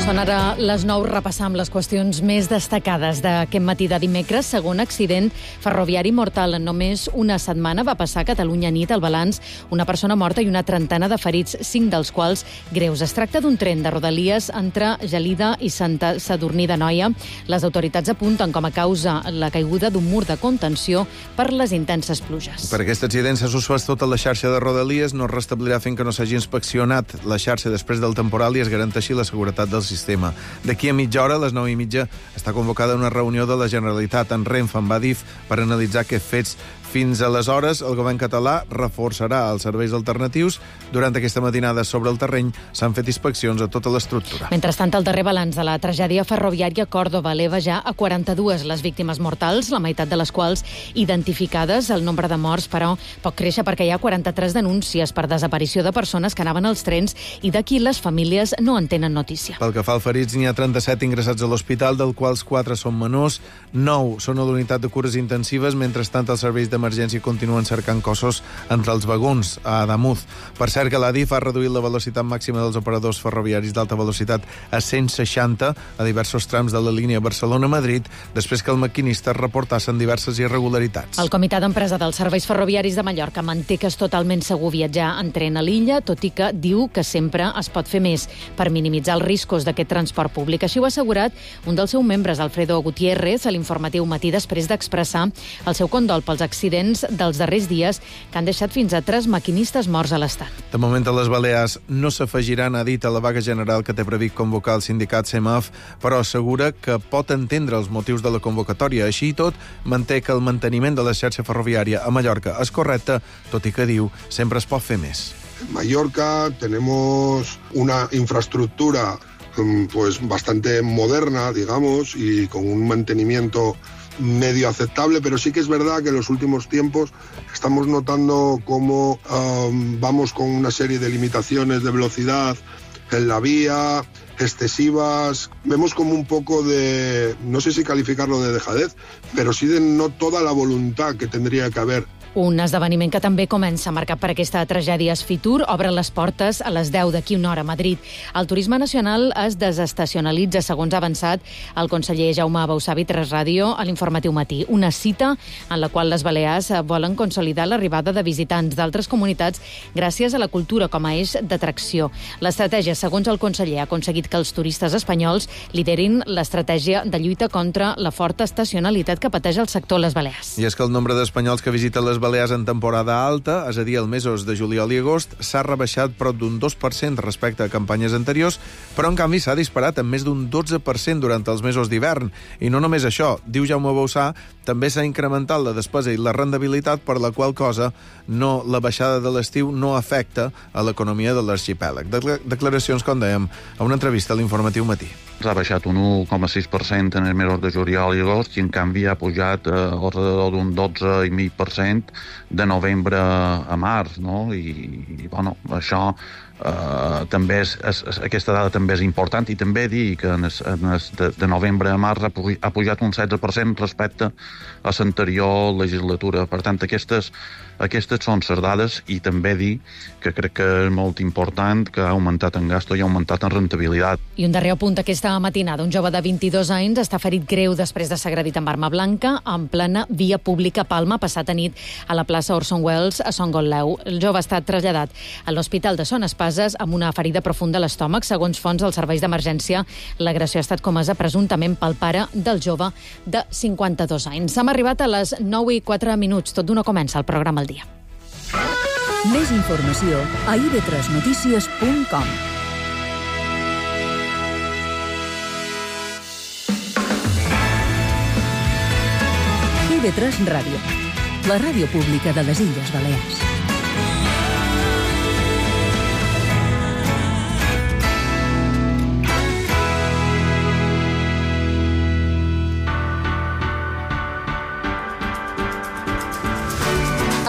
Són ara les 9, repassam les qüestions més destacades d'aquest matí de dimecres. Segon accident ferroviari mortal en només una setmana va passar a Catalunya nit. El balanç, una persona morta i una trentena de ferits, 5 dels quals greus. Es tracta d'un tren de Rodalies entre Gelida i Santa Sadurní d'Anoia. Les autoritats apunten com a causa la caiguda d'un mur de contenció per les intenses pluges. Per aquest accident s'ha suspès tota la xarxa de Rodalies, no es restablirà fins que no s'hagi inspeccionat la xarxa després del temporal i es garanteixi la seguretat del sistema. D'aquí a mitja hora, a les 9:30, està convocada una reunió de la Generalitat en Renfe, amb Adif, per analitzar aquests fets. Fins aleshores, el govern català reforçarà els serveis alternatius. Durant aquesta matinada sobre el terreny s'han fet inspeccions a tota l'estructura. Mentrestant, el darrer balanç de la tragèdia ferroviària a Còrdova eleva ja a 42 les víctimes mortals, la meitat de les quals identificades. El nombre de morts, però, pot créixer perquè hi ha 43 denúncies per desaparició de persones que anaven als trens i d'aquí les famílies no en tenen notícia. Pel que fa als ferits, n'hi ha 37 ingressats a l'hospital, dels quals 4 són menors, 9 són a l'unitat de cures intensives. Mentrestant, els serveis d'emergència continuen cercant cossos entre els vagons a Adamuz. Per cert, que l'Adif ha reduït la velocitat màxima dels operadors ferroviaris d'alta velocitat a 160 a diversos trams de la línia Barcelona-Madrid, després que el maquinista reportassen diverses irregularitats. El Comitè d'Empresa dels Serveis Ferroviaris de Mallorca manté que és totalment segur viatjar en tren a l'illa, tot i que diu que sempre es pot fer més per minimitzar els riscos d'aquest transport públic. Així ho ha assegurat un dels seus membres, Alfredo Gutiérrez, a l'informatiu Matí, després d'expressar el seu condol pels accidents dels darrers dies que han deixat fins a 3 maquinistes morts a l'Estat. De moment, a les Balears no s'afegiran, ha dit, a la vaga general que té previst convocar el sindicat CEMAF, però assegura que pot entendre els motius de la convocatòria. Així i tot, manté que el manteniment de la xarxa ferroviària a Mallorca és correcte, tot i que diu sempre es pot fer més. En Mallorca tenemos una infraestructura pues bastante moderna, digamos, y con un mantenimiento medio aceptable, pero sí que es verdad que en los últimos tiempos estamos notando cómo vamos con una serie de limitaciones de velocidad en la vía, excesivas. Vemos como un poco de, no sé si calificarlo de dejadez, pero sí de no toda la voluntad que tendría que haber. Un esdeveniment que també comença marcat per aquesta tragèdia. Fitur obre les portes a les 10 d'aquí una hora a Madrid. El turisme nacional es desestacionalitza, segons ha avançat el conseller Jaume Bausavi, 3 Ràdio, a l'informatiu Matí. Una cita en la qual les Balears volen consolidar l'arribada de visitants d'altres comunitats gràcies a la cultura com a eix d'atracció. L'estratègia, segons el conseller, ha aconseguit que els turistes espanyols liderin l'estratègia de lluita contra la forta estacionalitat que pateix el sector a les Balears. I és que el nombre d'espanyols que visiten les Balears en temporada alta, és a dir, els mesos de juliol i agost, s'ha rebaixat prop d'un 2% respecte a campanyes anteriors, però en canvi s'ha disparat en més d'un 12% durant els mesos d'hivern. I no només això, diu Jaume Bausà, també s'ha incrementat la despesa i la rendibilitat, per la qual cosa la baixada de l'estiu no afecta a l'economia de l'arxipèlag. Declaracions, com dèiem, a una entrevista a l'Informatiu Matí. Ha baixat un 1,6% en els mesos de juliol i agost i en canvi ha pujat alrededor d'un 12,5% de novembre a març, no? I bueno, això també aquesta dada també és important, i també dir que de novembre a març ha pujat un 16% respecte a l'anterior legislatura. Per tant, aquestes són les dades, i també dir que crec que és molt important que ha augmentat en gasto i ha augmentat en rendibilitat. I un darrer apunt aquesta matinada. Un jove de 22 anys està ferit greu després de ser agredit amb arma blanca en plena via pública a Palma passat a nit a la plaça Orson Welles a Son Gotleu. El jove ha estat traslladat a l'Hospital de Son Espases amb una ferida profunda a l'estómac. Segons fonts dels serveis d'emergència, l'agressió ha estat comesa presumptament pel pare del jove de 52 anys. Hem arribat a les 9:04. Tot d'una comença el programa al dia. Més informació a ib3notícies.com. IB3 Ràdio, la ràdio pública de les Illes Balears.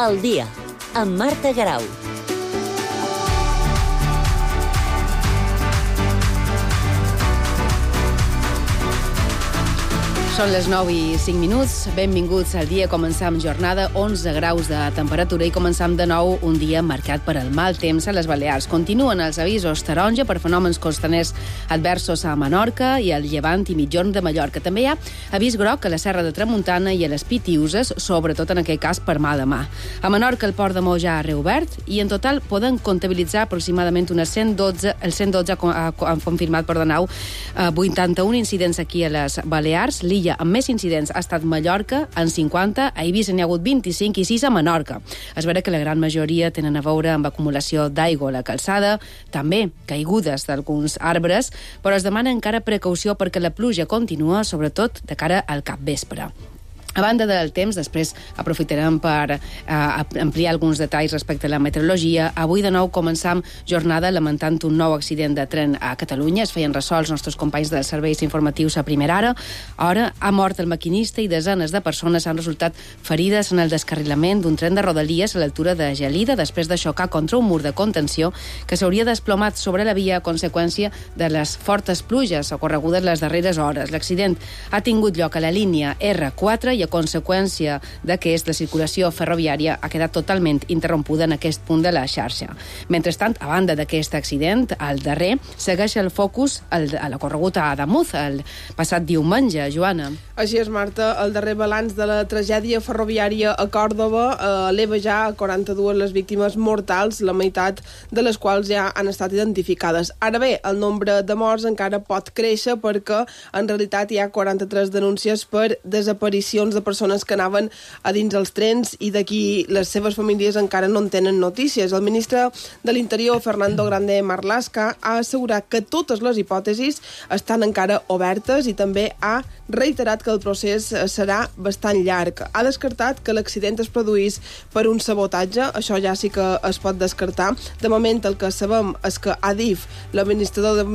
El dia, amb Marta Garau. Són les 9:05. Benvinguts al dia. Començam jornada, 11 graus de temperatura i començam de nou un dia marcat per el mal temps a les Balears. Continuen els avisos taronja per fenòmens costaners adversos a Menorca i al Llevant i Mitjorn de Mallorca. També hi ha avís groc a la Serra de Tramuntana i a les Pitiuses, sobretot en aquest cas per mà de mà. A Menorca el port de Mó ja ha reobert i en total poden comptabilitzar aproximadament unes 112, el 112 han confirmat, 81 incidents aquí a les Balears. L'illa amb més incidents ha estat Mallorca, en 50, a Eivissa n'hi ha hagut 25 i 6 a Menorca. Es vera que la gran majoria tenen a veure amb acumulació d'aigua a la calçada, també caigudes d'alguns arbres, però es demana encara precaució perquè la pluja continua, sobretot de cara al capvespre. A banda del temps, després aprofitarem per ampliar alguns detalls respecte a la meteorologia. Avui de nou començam jornada lamentant un nou accident de tren a Catalunya. Es feien ressò els nostres companys dels serveis informatius a primera hora. Ha mort el maquinista i desenes de persones han resultat ferides en el descarrilament d'un tren de Rodalies a l'altura de Gelida després de xocar contra un mur de contenció que s'hauria desplomat sobre la via a conseqüència de les fortes pluges ocorregudes les darreres hores. L'accident ha tingut lloc a la línia R4 i a conseqüència d'aquest, la circulació ferroviària ha quedat totalment interrompuda en aquest punt de la xarxa. Mentrestant, a banda d'aquest accident, al darrer, segueix el focus a l'ocorregut a Adamuz, el passat diumenge, Joana. Així és, Marta, el darrer balanç de la tragèdia ferroviària a Còrdova eleva ja a 42 les víctimes mortals, la meitat de les quals ja han estat identificades. Ara bé, el nombre de morts encara pot créixer perquè en realitat hi ha 43 denúncies per desaparicions de persones que anaven a dins els trens i d'aquí les seves famílies encara no en tenen notícies. El ministre de l'Interior, Fernando Grande Marlaska, ha assegurat que totes les hipòtesis estan encara obertes i també ha reiterat que el procés serà bastant llarg. Ha descartat que l'accident es produís per un sabotatge, això ja sí que es pot descartar. De moment el que sabem és que Adif, l'administrador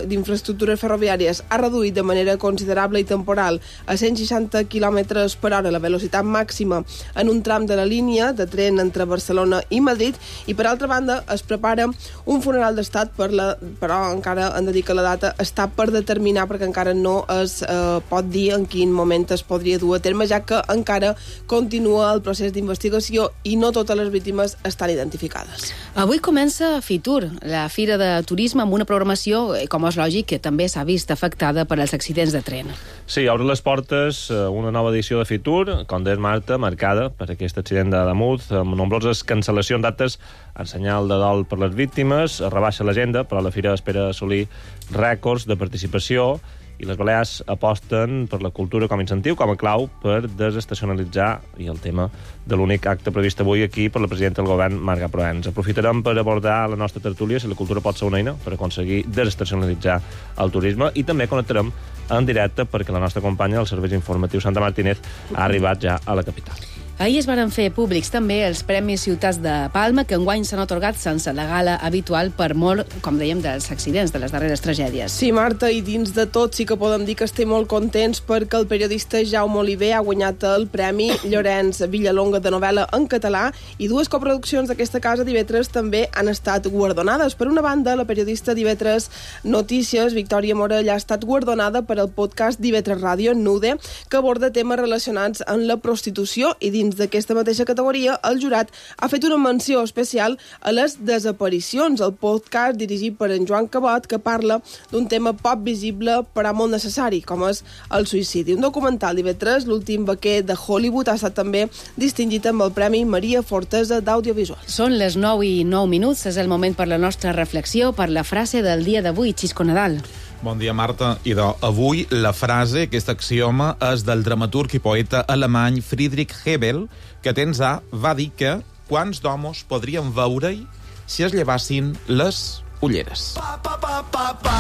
d'infraestructures ferroviàries, ha reduït de manera considerable i temporal a 160 km per hora la velocitat màxima en un tram de la línia de tren entre Barcelona i Madrid i per altra banda es prepara un funeral d'estat però encara han de dir que la data està per determinar perquè encara no es pot dir en quin moment es podria dur a terme ja que encara continua el procés d'investigació i no totes les víctimes estan identificades. Avui comença Fitur, la fira de turisme amb una programació, com és lògic, que també s'ha vist afectada per als accidents de tren. Sí, obre les portes una nova edició de Fitur, com deies Marta, marcada per aquest accident d'Adamuz, amb nombroses cancel·lacions d'actes en senyal de dol per les víctimes, es rebaixa l'agenda, però la fira espera assolir rècords de participació i les Balears aposten per la cultura com a incentiu, com a clau per desestacionalitzar i el tema de l'únic acte previst avui aquí per la presidenta del govern, Marga Proens. Aprofitarem per abordar la nostra tertúlia si la cultura pot ser una eina per aconseguir desestacionalitzar el turisme i també connectarem en directe perquè la nostra companya del Servei Informatiu Santa Martínez ha arribat ja a la capital. Ahir es van fer públics també els Premis Ciutats de Palma, que enguany s'han atorgat sense la gala habitual per molt, com dèiem, dels accidents, de les darreres tragèdies. Sí, Marta, i dins de tot sí que podem dir que estem molt contents perquè el periodista Jaume Oliver ha guanyat el Premi Llorenç Villalonga de novel·la en català i dues coproduccions d'aquesta casa d'IV3 també han estat guardonades. Per una banda, la periodista d'IV3 Notícies, Victòria Morell, ha estat guardonada per el podcast d'IV3 Ràdio, Nude, que aborda temes relacionats amb la prostitució i dins d'aquesta mateixa categoria, el jurat ha fet una menció especial a les desaparicions, el podcast dirigit per en Joan Cabot, que parla d'un tema poc visible però molt necessari, com és el suïcidi. Un documental d'IV3, l'últim vaquer de Hollywood, ha estat també distingit amb el Premi Maria Fortesa d'Audiovisual. Són les 9:09, és el moment per la nostra reflexió, per la frase del dia d'avui, Xisco Nadal. Bon dia, Marta. Idò, avui la frase, aquest axioma, és del dramaturg i poeta alemany Friedrich Hebel, que temps va dir que quants d'homos podrien veure-hi si es llevassin les ulleres. Pa, pa, pa, pa, pa.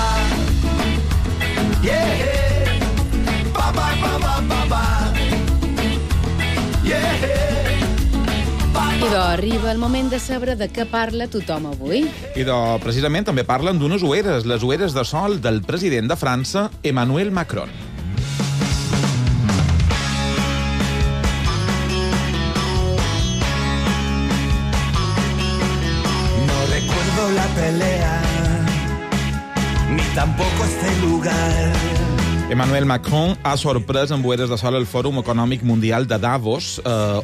Yeah. Pa, pa, pa, pa, pa, pa. Yeah. Idò, arriba el moment de saber de què parla tothom avui. Idò, precisament també parlen d'unes ulleres, les ulleres de sol del president de França, Emmanuel Macron. No recuerdo la pelea, ni tampoco este lugar. Emmanuel Macron ha sorprès amb boeres de sol el Fòrum Econòmic Mundial de Davos,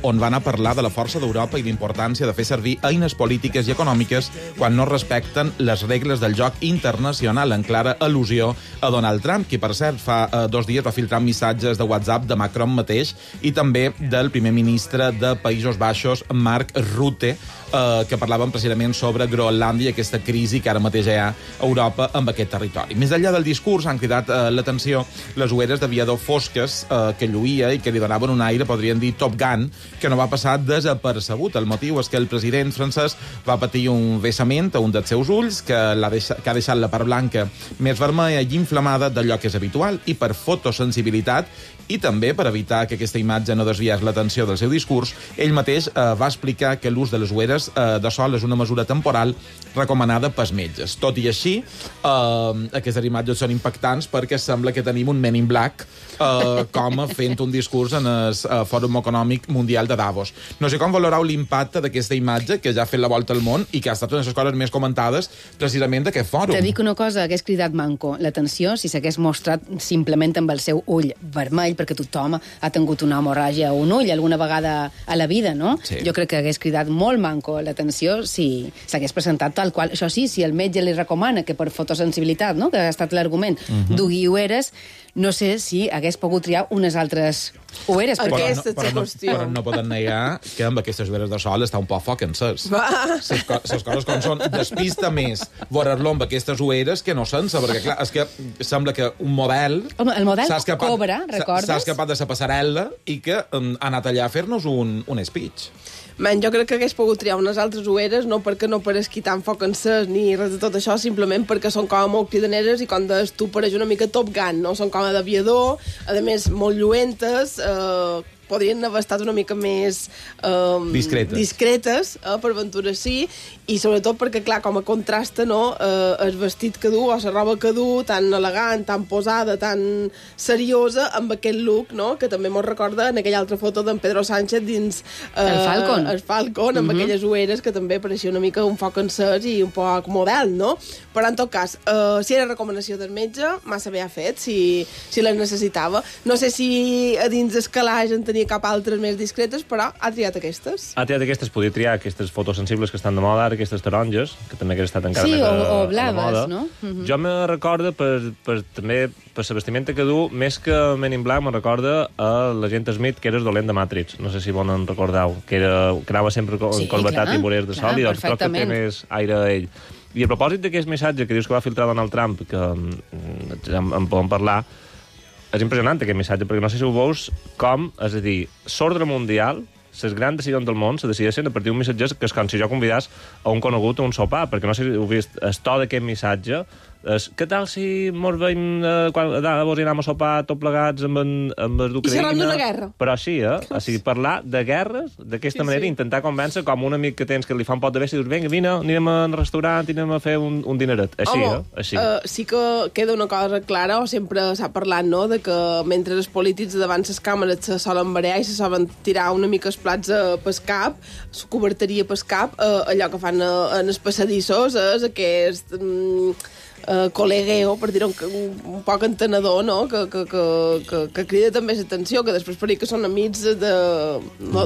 on van a parlar de la força d'Europa i l'importància de fer servir eines polítiques i econòmiques quan no respecten les regles del joc internacional, en clara al·lusió a Donald Trump, qui, per cert, fa 2 dies va filtrar missatges de WhatsApp de Macron mateix i també del primer ministre de Països Baixos, Mark Rutte, que parlaven precisament sobre Groenlàndia i aquesta crisi que ara mateix hi ha a Europa amb aquest territori. Més enllà del discurs han cridat l'atenció les ulleres d'aviador fosques que lluïa i que li donaven un aire, podríem dir, Top Gun, que no va passar desapercebut. El motiu és que el president francès va patir un vessament a un dels seus ulls que ha deixat la part blanca més vermella i inflamada d'allò que és habitual, i per fotosensibilitat i també per evitar que aquesta imatge no desviés l'atenció del seu discurs, ell mateix va explicar que l'ús de les ulleres de sol és una mesura temporal recomanada pels metges. Tot i així, aquestes imatges són impactants perquè sembla que tenim un Men in Black com fent un discurs en el Fòrum Econòmic Mundial de Davos. No sé com valoreu l'impacte d'aquesta imatge que ja ha fet la volta al món i que ha estat una de les coses més comentades precisament d'aquest fòrum. Te dic una cosa, hagués cridat manco l'atenció si s'hagués mostrat simplement amb el seu ull vermell, perquè tothom ha tingut una hemorràgia a un ull alguna vegada a la vida, no? Sí. Jo crec que hagués cridat molt manco l'atenció si s'hagués presentat tal qual. Això sí, si el metge li recomana que per fotosensibilitat, no?, que ha estat l'argument, dugui ulleres, no sé si hagués pogut triar unes altres ulleres. Però no poden negar que amb aquestes ulleres de sol està un poc foc encès. Les coses com són, despista més veure-lo amb aquestes ulleres que no sense, perquè clar, és que sembla que un model... Home, el model Cobra, recordes? S'ha escapat de la passarel·la i que ha anat allà a fer-nos un speech. Man, jo crec que hagués pogut triar unes altres ulleres, no perquè no pareixi tan foc encès ni res de tot això, simplement perquè són com molt cridaneres i com deies tu pareix una mica Top Gun, no? Són com d'aviador, a més molt lluentes, podrien haver estat una mica més discretes per aventura sí, i sobretot perquè, clar, com a contrasta, no, el vestit que du o la roba que du, tan elegant, tan posada, tan seriosa, amb aquest look, no?, que també mos recorda en aquella altra foto d'en Pedro Sánchez dins el Falcon, amb aquelles ulleres que també pareixia una mica un foc encès i un poc model, no? Però en tot cas, si era recomanació del metge, massa bé ha fet, si les necessitava. No sé si a dins el calaix en tenia cap altres més discretes, però ha triat aquestes. Ha triat aquestes, podria triar aquestes fotosensibles que estan de moda ara, aquestes taronges, que també hagués estat encara més o blaves, no? Jo me recorda també per la vestimenta que du, més que Men in Black, me recorda a l'agent Smith, que era el dolent de Matrix. No sé si bon en recordeu, que anava sempre corbatat i voreres de sol, i doncs crec que té més aire a ell. I a propòsit d'aquest missatge que dius que va filtrar Donald Trump, que en podem parlar, és impressionant aquest missatge, perquè no sé si ho veus com, és a dir, l'ordre mundial, les grans decisions del món se decideixen a partir d'un missatge que és com si jo convidàs a un conegut a un sopar, perquè no sé si heu vist, el to d'aquest missatge és, què tal si mos veiem quan vos anem a sopar tot plegats amb el d'Ucraïna? I xerrem d'una guerra. Però així, o sigui, parlar de guerres d'aquesta manera, intentar convèncer com un amic que tens que li fa un pot de bèstia i dius, vinga, vine, anirem al restaurant, anirem a fer un dineret. Així, així. Sí que queda una cosa clara, o sempre s'ha parlat, no?, de que mentre els polítics davant les càmeres se solen barear i se solen tirar una mica els plats pel cap, la coberteria pel cap, allò que fan en els passadissos és aquest col·legueo, per dir-ho un poc entenedor, no?, que crida també l'atenció, que després per dir que són amics de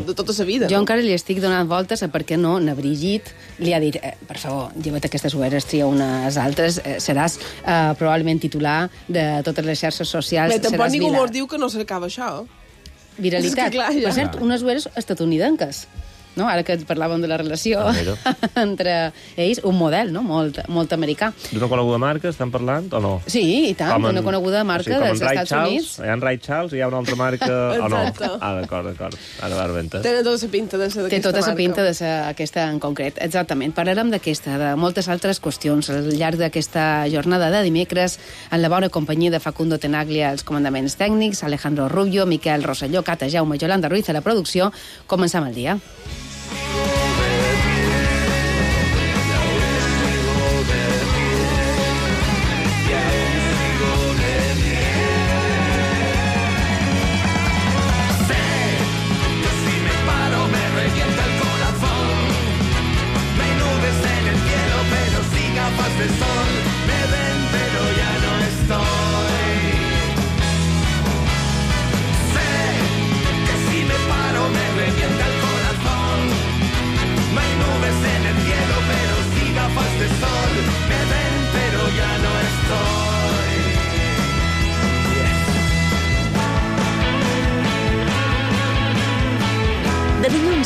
tota la vida. Jo encara li estic donant voltes a per què no na Brigitte li ha dit, per favor, lleva't aquestes ulleres, tria unes altres, seràs probablement titular de totes les xarxes socials. Bé, tampoc ningú mos diu que no s'acaba això. Viralitat. Clar, ja. Per cert, unes ulleres estatunidenques. No? Ara que parlàvem de la relació entre ells, un model, no?, molt americà. D'una coneguda marca estan parlant, o no? Sí, i tant, d'una coneguda marca dels Estats Units. Hi ha en Ray Charles i hi ha una altra marca, o no? D'acord. Ara va rebenta. Té tota la pinta d'aquesta marca. Té tota la pinta d'aquesta en concret, exactament. Parlarem d'aquesta, de moltes altres qüestions al llarg d'aquesta jornada de dimecres, en la bona companyia de Facundo Tenaglia als comandaments tècnics, Alejandro Rubio, Miquel Rosselló, Cata Jaume i Yolanda Ruiz a la producció. Comencem el dia.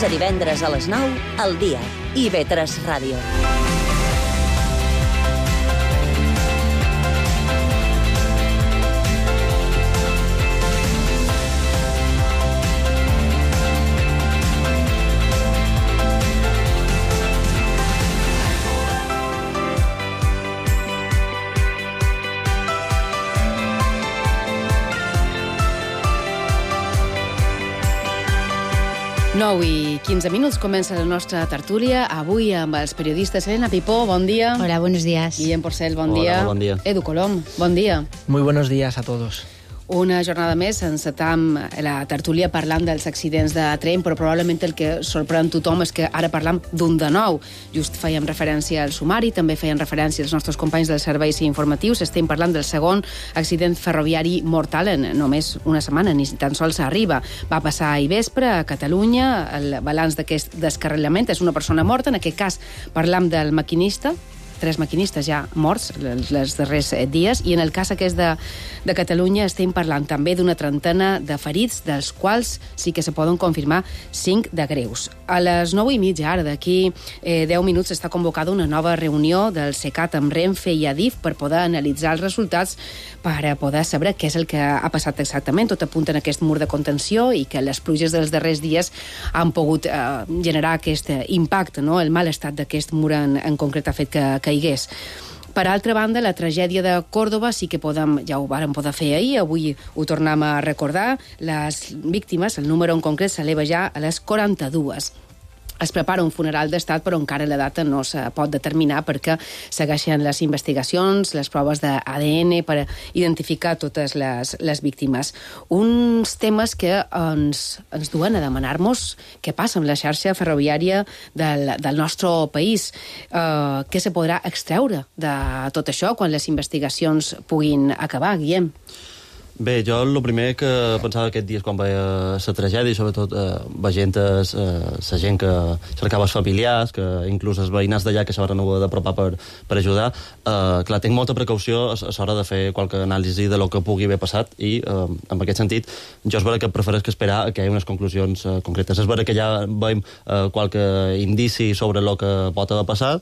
dilluns a divendres a les 9, al dia. IB3 Ràdio. I 15 minuts comença la nostra tertúlia, avui amb els periodistes Elena Pipó, bon dia. Hola, buenos días. Guillem Porcel, bon dia. Hola, bon dia. Edu Colom, bon dia. Muy buenos días a todos. Una jornada més, encetam la tertúlia parlant dels accidents de tren, però probablement el que sorprèn tothom és que ara parlam d'un de nou. Just fèiem referència al sumari, també feien referència els nostres companys dels serveis informatius. Estem parlant del segon accident ferroviari mortal en només una setmana, ni tan sols arriba. Va passar ahir vespre a Catalunya. El balanç d'aquest descarrilament és una persona morta. En aquest cas parlam del maquinista, 3 maquinistes ja morts els darrers dies, i en el cas aquest de Catalunya estem parlant també d'una trentena de ferits, dels quals sí que se poden confirmar 5 de greus. A les 9:30, ara d'aquí 10 minuts, està convocada una nova reunió del CECAT amb Renfe i Adif per poder analitzar els resultats, per poder saber què és el que ha passat exactament. Tot apunta en aquest mur de contenció i que les pluges dels darrers dies han pogut generar aquest impacte, no? El mal estat d'aquest mur en concret ha fet que caigués. Per altra banda, la tragèdia de Còrdova sí que ja ho vàrem poder fer ahir, avui ho tornem a recordar. Les víctimes, el número en concret s'eleva ja a les 42. Es prepara un funeral d'estat, però encara la data no se pot determinar perquè segueixen les investigacions, les proves d'ADN per identificar totes les víctimes. Uns temes que ens duen a demanar-nos què passa amb la xarxa ferroviària del nostre país. Què se podrà extreure de tot això quan les investigacions puguin acabar, Guillem? Bé, jo el primer que pensava aquests dies quan veia la tragèdia, i sobretot veient la gent que cercava els familiars, que inclús els veïnats d'allà que s'hauran hagut d'apropar per ajudar, clar, tinc molta precaució a l'hora de fer qualque anàlisi de lo que pugui haver passat, i en aquest sentit jo és vera que prefereix que esperar que hi hagi unes conclusions concretes. És vera que ja veiem qualque indici sobre el que pot haver passat,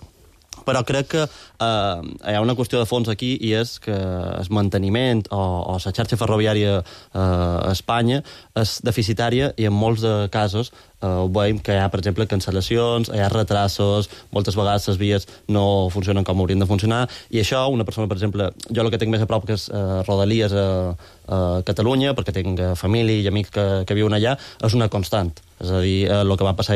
però crec que hi ha una qüestió de fons aquí, i és que el manteniment o la xarxa ferroviària a Espanya és deficitària, i en molts de casos veiem que hi ha, per exemple, cancel·lacions, hi ha retrasos, moltes vegades les vies no funcionen com haurien de funcionar, i això, una persona, per exemple, jo el que tinc més a prop que és Rodalies a Catalunya, perquè tinc família i amics que viuen allà, és una constant. És a dir, el que va passar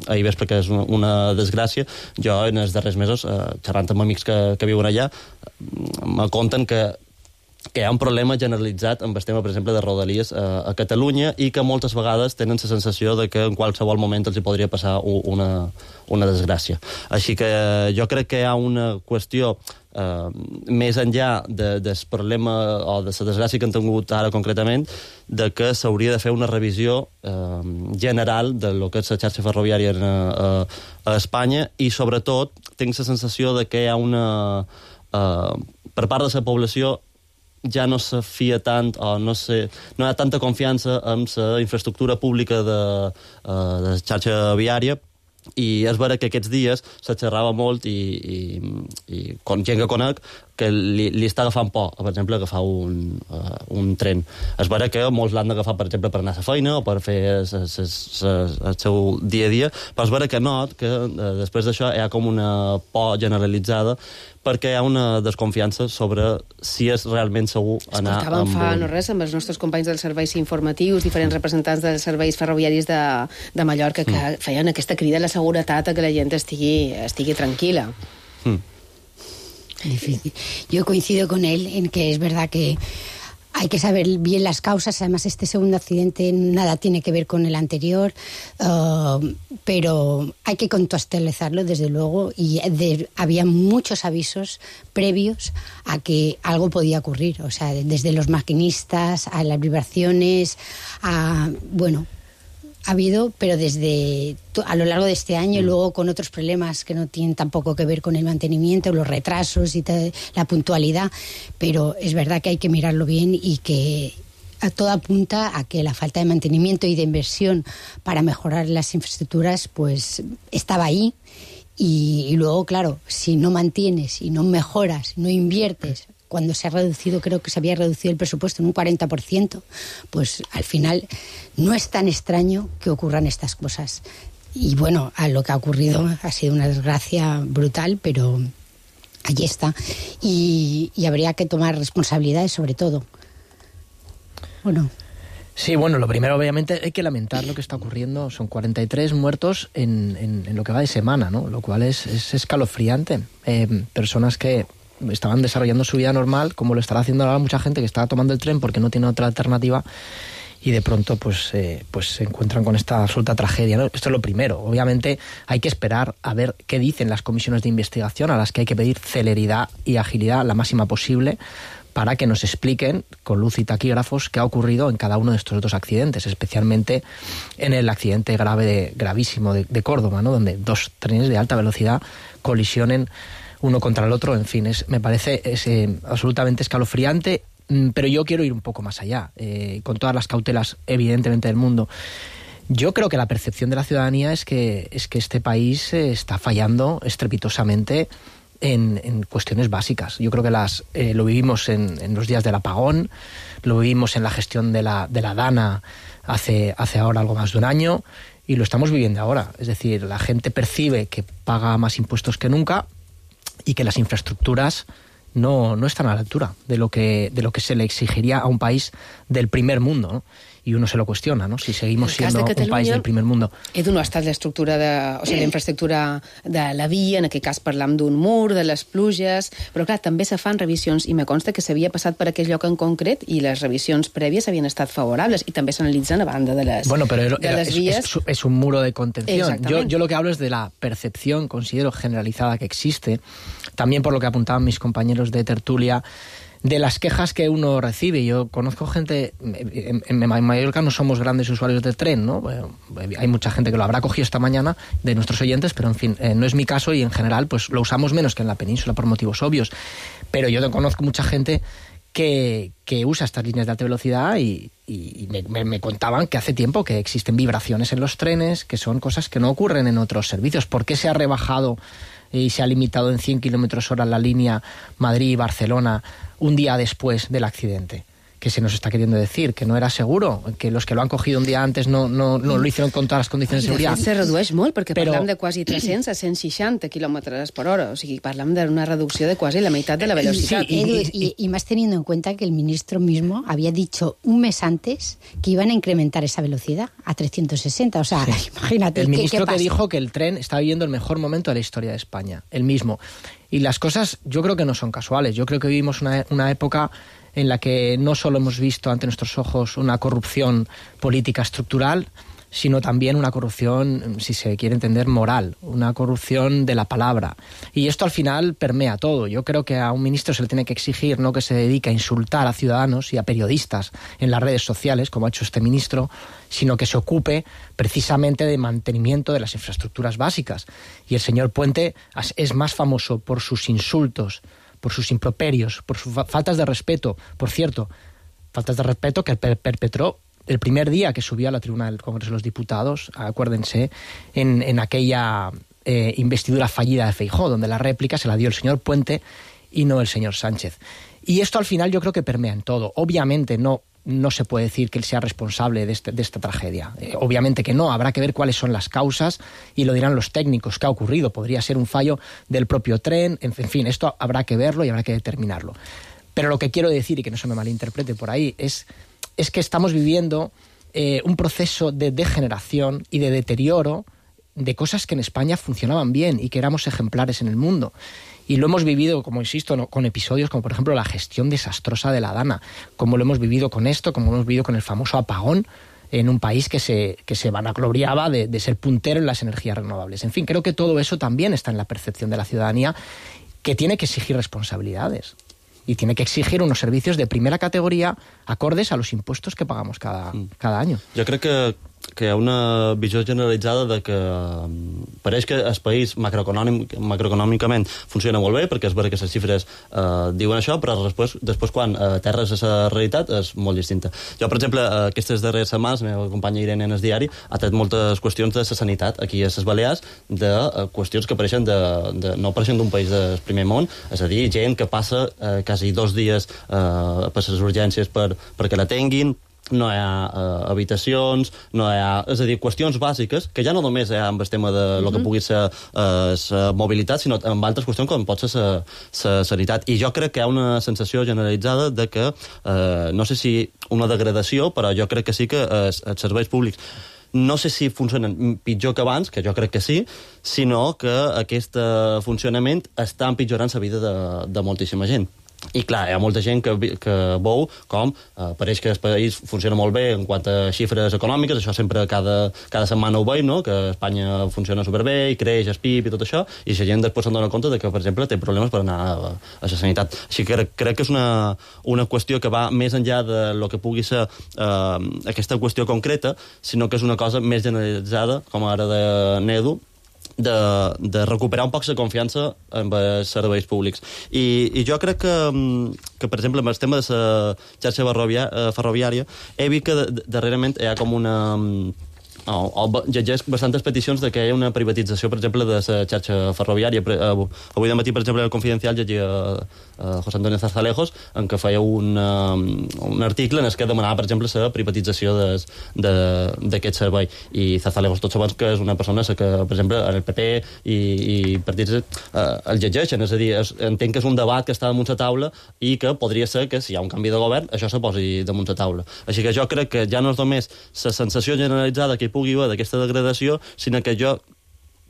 ahir vespre, que és una desgràcia, jo en els darrers mesos, xerrant amb amics que viuen allà, me conten que hi ha un problema generalitzat amb el tema, per exemple, de Rodalies a Catalunya, i que moltes vegades tenen la sensació de que en qualsevol moment els hi podria passar una desgràcia. Així que jo crec que hi ha una qüestió més enllà del problema o de la desgràcia que han tingut ara concretament, de que s'hauria de fer una revisió general de lo que és la xarxa ferroviària a Espanya, i sobretot tinc la sensació de que hi ha per part de la població ja no se fia tant, o no hi ha tanta confiança en la infraestructura pública de la xarxa viària. I és vera que aquests dies se xerrava molt, i gent que conec que li està agafant por, per exemple, agafar un tren. És vera que molts l'han d'agafar, per exemple, per anar a la feina o per fer el seu dia a dia, però és vera que not que després d'això hi ha com una por generalitzada, perquè hi ha una desconfiança sobre si és realment segur anar Escoltàvem fa no res amb els nostres companys dels serveis informatius, diferents representants dels serveis ferroviaris de Mallorca, que feien aquesta crida a la seguretat, a que la gent estigui tranquil·la. Difícil. Yo coincido con él en que es verdad que hay que saber bien las causas. Además, este segundo accidente nada tiene que ver con el anterior, pero hay que contextualizarlo, desde luego, y había muchos avisos previos a que algo podía ocurrir. O sea, desde los maquinistas a las vibraciones, ha habido, pero a lo largo de este año, y luego con otros problemas que no tienen tampoco que ver con el mantenimiento, los retrasos y la puntualidad, pero es verdad que hay que mirarlo bien, y que todo apunta a que la falta de mantenimiento y de inversión para mejorar las infraestructuras pues estaba ahí. Y luego, claro, si no mantienes y no mejoras, no inviertes, cuando se ha reducido, creo que se había reducido el presupuesto en un 40%, pues al final no es tan extraño que ocurran estas cosas. Y bueno, a lo que ha ocurrido ha sido una desgracia brutal, pero allí está. Y habría que tomar responsabilidades sobre todo. Bueno. Sí, bueno, lo primero obviamente hay que lamentar lo que está ocurriendo. Son 43 muertos en lo que va de semana, ¿no? Lo cual es escalofriante. Personas que estaban desarrollando su vida normal, como lo estará haciendo ahora mucha gente que está tomando el tren porque no tiene otra alternativa, y de pronto pues se encuentran con esta absoluta tragedia, ¿no? Esto es lo primero. Obviamente hay que esperar a ver qué dicen las comisiones de investigación, a las que hay que pedir celeridad y agilidad la máxima posible, para que nos expliquen con luz y taquígrafos qué ha ocurrido en cada uno de estos dos accidentes, especialmente en el accidente gravísimo de Córdoba, ¿no? Donde dos trenes de alta velocidad colisionen uno contra el otro. En fin, me parece absolutamente escalofriante, pero yo quiero ir un poco más allá, con todas las cautelas evidentemente del mundo. Yo creo que la percepción de la ciudadanía es que este país está fallando estrepitosamente en cuestiones básicas. Yo creo que lo vivimos en los días del apagón, lo vivimos en la gestión de la DANA hace ahora algo más de un año, y lo estamos viviendo ahora. Es decir, la gente percibe que paga más impuestos que nunca y que las infraestructuras no están a la altura de lo que se le exigiría a un país del primer mundo, ¿no? I uno se lo cuestiona, no? Si seguimos siendo un país del primer mundo. Edu, no ha estat la infraestructura de la via, en aquest cas parlam d'un mur, de les pluges, però clar, també se fan revisions, i me consta que s'havia passat per aquell lloc en concret i les revisions prèvies havien estat favorables, i també s'analitzen a banda de les, les vías. Es un muro de contención. Yo lo que hablo es de la percepción, considero, generalizada que existe, también por lo que apuntaban mis compañeros de tertulia, de las quejas que uno recibe. Yo conozco gente, en Mallorca no somos grandes usuarios del tren, ¿no? Hay mucha gente que lo habrá cogido esta mañana de nuestros oyentes, pero en fin, no es mi caso, y en general pues lo usamos menos que en la península por motivos obvios. Pero yo conozco mucha gente que usa estas líneas de alta velocidad y me contaban que hace tiempo que existen vibraciones en los trenes, que son cosas que no ocurren en otros servicios. ¿Por qué se ha rebajado y se ha limitado en 100 km/h la línea Madrid-Barcelona un día después del accidente? ¿Qué se nos está queriendo decir? ¿Que no era seguro? ¿Que los que lo han cogido un día antes no lo hicieron con todas las condiciones de seguridad? Se redueix molt, perquè parlem de quasi 300 a 160 km/h. O sigui, parlem d'una reducció de quasi la meitat de la velocitat. Sí, Edu, y más teniendo en cuenta que el ministro mismo había dicho un mes antes que iban a incrementar esa velocidad a 360. O sea, sí. Imagínate. El ministro ¿qué que dijo que el tren está viviendo el mejor momento de la historia de España, el mismo. Y las cosas yo creo que no son casuales. Yo creo que vivimos una época en la que no solo hemos visto ante nuestros ojos una corrupción política estructural, sino también una corrupción, si se quiere entender, moral, una corrupción de la palabra. Y esto al final permea todo. Yo creo que a un ministro se le tiene que exigir no que se dedique a insultar a ciudadanos y a periodistas en las redes sociales, como ha hecho este ministro, sino que se ocupe precisamente de mantenimiento de las infraestructuras básicas. Y el señor Puente es más famoso por sus insultos, por sus improperios, por sus faltas de respeto. Por cierto, faltas de respeto que perpetró el primer día que subió a la tribuna del Congreso de los Diputados, acuérdense, en aquella investidura fallida de Feijóo, donde la réplica se la dio el señor Puente y no el señor Sánchez. Y esto al final yo creo que permea en todo. Obviamente no se puede decir que él sea responsable de esta tragedia. Obviamente que no, habrá que ver cuáles son las causas y lo dirán los técnicos qué ha ocurrido. Podría ser un fallo del propio tren, en fin, esto habrá que verlo y habrá que determinarlo. Pero lo que quiero decir, y que no se me malinterprete por ahí, es que estamos viviendo un proceso de degeneración y de deterioro de cosas que en España funcionaban bien y que éramos ejemplares en el mundo. Y lo hemos vivido, como insisto, con episodios como, por ejemplo, la gestión desastrosa de la DANA, como lo hemos vivido con esto, como lo hemos vivido con el famoso apagón en un país que se vanagloriaba de ser puntero en las energías renovables. En fin, creo que todo eso también está en la percepción de la ciudadanía, que tiene que exigir responsabilidades y tiene que exigir unos servicios de primera categoría acordes a los impuestos que pagamos cada año. Jo crec que que hi ha una visió generalitzada de que pareix que el país macroeconòmicament funciona molt bé, perquè és vera que les xifres diuen això, però després quan aterres a la realitat és molt distinta. Jo, per exemple, aquestes darreres setmanes, la meva companya Irene en el diari ha tret moltes qüestions de la sanitat aquí a les Balears, de qüestions que apareixen no apareixen d'un país del primer món, és a dir, gent que passa quasi 2 dies per les urgències perquè la tinguin, no hi ha habitacions, no hi ha... És a dir, qüestions bàsiques, que ja no només hi ha amb el tema de lo que pugui ser la mobilitat, sinó amb altres qüestions com pot ser la sanitat. I jo crec que hi ha una sensació generalitzada de que, no sé si una degradació, però jo crec que sí que els serveis públics no sé si funcionen pitjor que abans, que jo crec que sí, sinó que aquest funcionament està empitjorant la vida de moltíssima gent. I clar, hi ha molta gent que veu com pareix que el país funciona molt bé en quant a xifres econòmiques, això sempre cada setmana ho veig, no? Que Espanya funciona superbé i creix el PIB i tot això, i la gent després se'n dona compte de que, per exemple, té problemes per anar a la sanitat. Així que crec que és una qüestió que va més enllà de lo que pugui ser aquesta qüestió concreta, sinó que és una cosa més generalitzada, com ara de Nedu, de recuperar un poc la confiança en els serveis públics. I jo crec que, per exemple, amb el tema de la xarxa ferroviària, he vist que darrerament hi ha com una... llegeix bastantes peticions de que hi ha una privatització, per exemple, de la xarxa ferroviària. Avui de matí, per exemple, el Confidencial llegia José Antonio Zarzalejos, en què feia un article en el que demanava, per exemple, la privatització d'aquest servei. I Zarzalejos, tots sabem que és una persona que, per exemple, en el PP i partits el llegeixen, és a dir, entenc que és un debat que està damunt la taula i que podria ser que, si hi ha un canvi de govern, això se posi damunt la taula. Així que jo crec que ja no és només la sensació generalitzada que hi pugui haver d'aquesta degradació, sinó que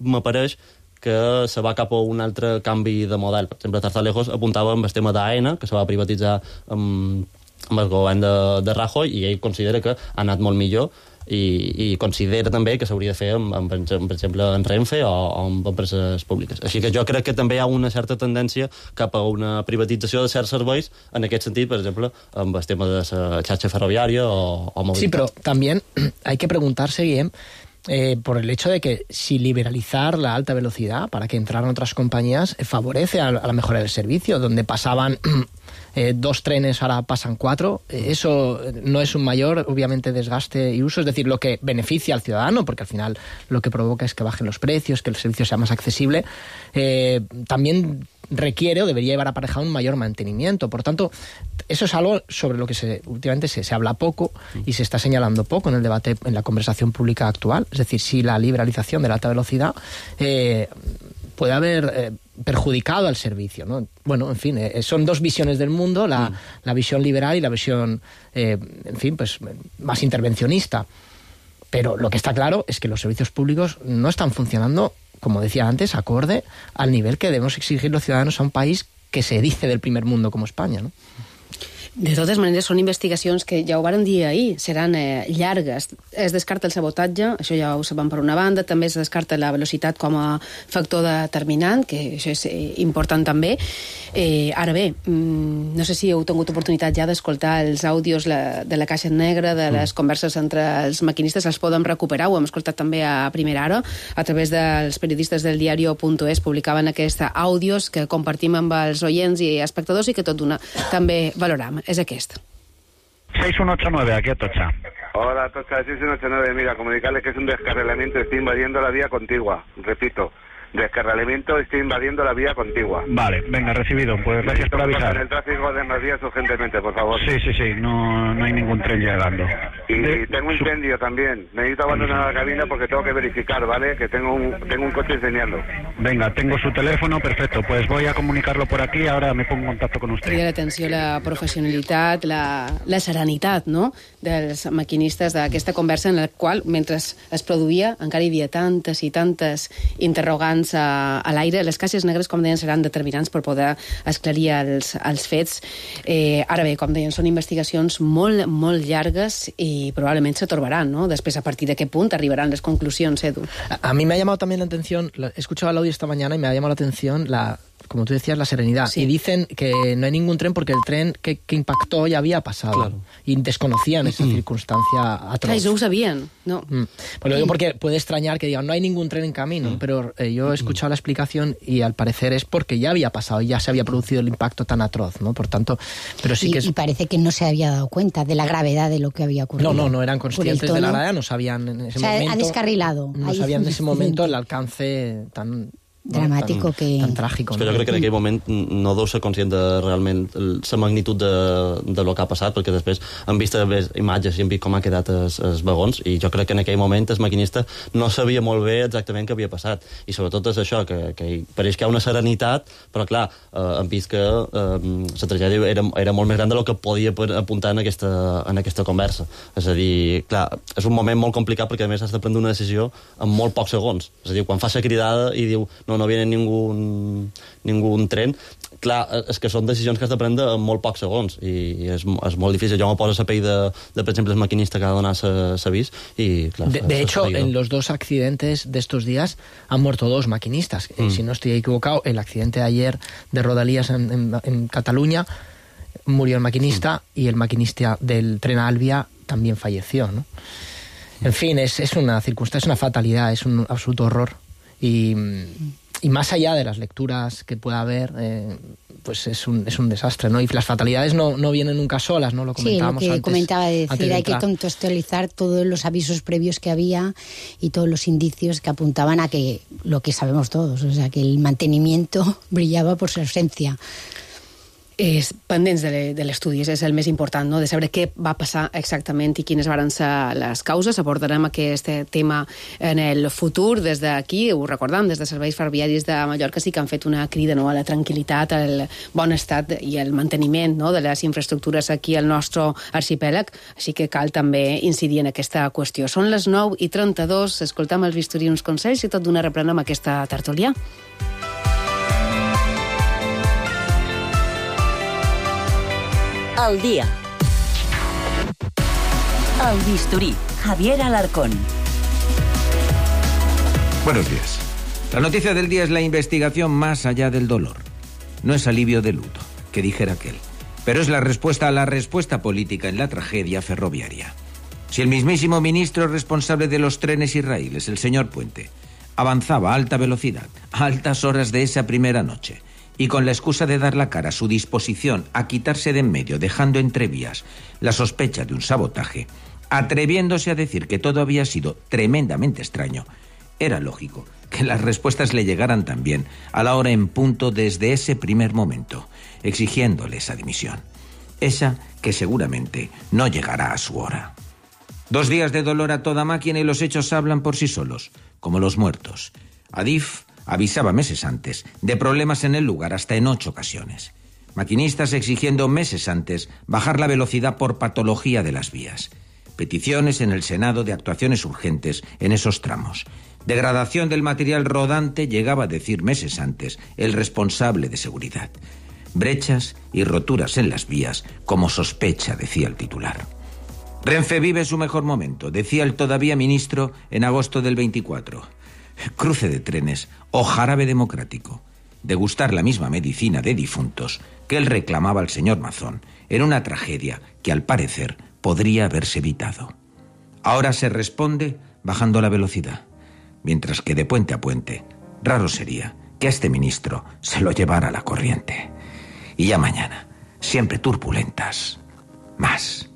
m'apareix que se va cap a un altre canvi de model. Per exemple, Zarzalejos apuntava amb el tema d'AENA, que se va privatitzar amb el govern de Rajoy, i ell considera que ha anat molt millor, i considera també que s'hauria de fer, per exemple, en Renfe o amb empreses públiques. Així que jo crec que també hi ha una certa tendència cap a una privatització de certs serveis, en aquest sentit, per exemple, amb el tema de la xarxa ferroviària o mobilitat. Sí, pero también hay que preguntarse, Guillem, por el hecho de que si liberalizar la alta velocidad para que entraran otras compañías favorece a la mejora del servicio, donde pasaban 2 trenes, ahora pasan 4, eso no es un mayor, obviamente, desgaste y uso, es decir, lo que beneficia al ciudadano, porque al final lo que provoca es que bajen los precios, que el servicio sea más accesible, también requiere o debería llevar aparejado un mayor mantenimiento. Por tanto, eso es algo sobre lo que últimamente se habla poco y se está señalando poco en el debate, en la conversación pública actual. Es decir, si la liberalización de la alta velocidad puede haber perjudicado al servicio, ¿no? Bueno, en fin, son 2 visiones del mundo, la visión liberal y la visión, en fin, pues más intervencionista. Pero lo que está claro es que los servicios públicos no están funcionando, como decía antes, acorde al nivel que debemos exigir los ciudadanos a un país que se dice del primer mundo como España, ¿no? De totes maneres, són investigacions que ja ho varen dir ahir, seran llargues. Es descarta el sabotatge, això ja ho sabem per una banda, també es descarta la velocitat com a factor determinant, que això és important també. Ara bé, no sé si heu tingut oportunitat ja d'escoltar els àudios de la caixa negra, de les converses entre els maquinistes, els podem recuperar, ho hem escoltat també a primera hora, a través dels periodistes del diario.es, publicaven aquests àudios que compartim amb els oients i espectadors i que tot d'una també valorem. És aquest. 6189, aquí a Atocha. Hola, Atocha, 6189. Mira, comunicarles que es un descarrilamiento, estoy invadiendo la vía contigua. Repito, descarrilamiento, estoy invadiendo la vía contigua. Vale, venga, recibido. Pues gracias por avisar. El tráfico de más vías urgentemente, por favor. Sí, no hay ningún tren llegando. Y tengo un incendio también. Necesito abandonar la cabina porque tengo que verificar, ¿vale? Que tengo un coche incendiando. Venga, tengo su teléfono, perfecto. Pues voy a comunicarlo por aquí, ahora me pongo en contacto con usted. Crida l'atenció la professionalitat, la serenitat, no?, dels maquinistes d'aquesta conversa en la qual, mentre es produïa, encara hi havia tantes i tantes interrogants a l'aire. Les caixes negres, com deien, seran determinants per poder esclarir els fets. Ara bé, com deien, són investigacions molt, molt llargues i probablement se torbaran, ¿no? Després, a partir de qué punt arribaran les conclusions, Edu? A mí me ha llamado también la atención, he escuchado el audio esta mañana y me ha llamado la atención como tú decías, la serenidad. Sí. Y dicen que no hay ningún tren porque el tren que impactó ya había pasado. Claro. Y desconocían esa circunstancia atroz. Claro, no ho sabían, ¿no? Pues lo digo porque puede extrañar que digan, no hay ningún tren en camino, pero yo he escuchado la explicación y al parecer es porque ya había pasado, ya se había producido el impacto tan atroz, ¿no? Por tanto, pero sí que es... Y parece que no se había dado cuenta de la gravedad de lo que había ocurrido. No eran conscientes de la gravedad, no sabían en ese momento... han descarrilado. No sabían en ese momento el alcance tan... dramàtic tan tràgic. És que jo crec que en aquell moment no deu ser conscient de realment la magnitud de lo que ha passat, perquè després han vist imatges i han vist com ha quedat els vagons, i jo crec que en aquell moment el maquinista no sabia molt bé exactament què havia passat, i sobretot és això, que pareix que hi ha una serenitat, però clar, han vist que la tragèdia era molt més gran del que podia apuntar en aquesta conversa. És a dir, clar, és un moment molt complicat perquè a més has de prendre una decisió en molt pocs segons. És a dir, quan fas la cridada i diu no viene ningún tren, clar, és que són decisions que has de prendre en molt pocs segons i és molt difícil. Jo me poso a la pell de per exemple, el maquinista que ha de donar l'avís y claro, de hecho, en los dos accidentes de estos días han muerto dos maquinistas. Si no estoy equivocado, el accidente de ayer de Rodalies en Cataluña murió el maquinista y el maquinista del tren Albia también falleció, ¿no? En fin, es una circunstancia, es una fatalidad, es un absoluto horror. Y más allá de las lecturas que pueda haber, pues es un desastre, ¿no? Y las fatalidades no vienen nunca solas, ¿no? Lo comentábamos antes. Sí, lo que antes, comentaba de decir, hay que contextualizar todos los avisos previos que había y todos los indicios que apuntaban a que lo que sabemos todos, o sea, que el mantenimiento brillaba por su ausencia. Pendents de l'estudi, és el més important, no? De saber què va passar exactament i quines van ser les causes. Abordarem aquest tema en el futur. Des d'aquí, ho recordem, des de Serveis Ferroviaris de Mallorca sí que han fet una crida, no?, a la tranquil·litat, al bon estat i al manteniment, no?, de les infraestructures aquí al nostre arxipèlag, així que cal també incidir en aquesta qüestió. Són les 9:32, escoltam el bisturí uns consells i tot d'una reprenem aquesta tertúlia. Al día. Al bisturí, Javier Alarcón. Buenos días. La noticia del día es la investigación más allá del dolor. No es alivio de luto, que dijera aquel, pero es la respuesta a la respuesta política en la tragedia ferroviaria. Si el mismísimo ministro responsable de los trenes y raíles, el señor Puente, avanzaba a alta velocidad, a altas horas de esa primera noche, y con la excusa de dar la cara, su disposición a quitarse de en medio, dejando entrevías la sospecha de un sabotaje, atreviéndose a decir que todo había sido tremendamente extraño, era lógico que las respuestas le llegaran también a la hora en punto desde ese primer momento, exigiéndole esa dimisión. Esa que seguramente no llegará a su hora. 2 días de dolor a toda máquina y los hechos hablan por sí solos, como los muertos. Adif avisaba meses antes de problemas en el lugar hasta en 8 ocasiones. Maquinistas exigiendo meses antes bajar la velocidad por patología de las vías. Peticiones en el Senado de actuaciones urgentes en esos tramos. Degradación del material rodante llegaba a decir meses antes el responsable de seguridad. Brechas y roturas en las vías como sospecha, decía el titular. Renfe vive su mejor momento, decía el todavía ministro en agosto del 24. Cruce de trenes o jarabe democrático. Degustar la misma medicina de difuntos que él reclamaba al señor Mazón en una tragedia que al parecer podría haberse evitado. Ahora se responde bajando la velocidad, mientras que de puente a puente raro sería que a este ministro se lo llevara la corriente. Y ya mañana, siempre turbulentas, más.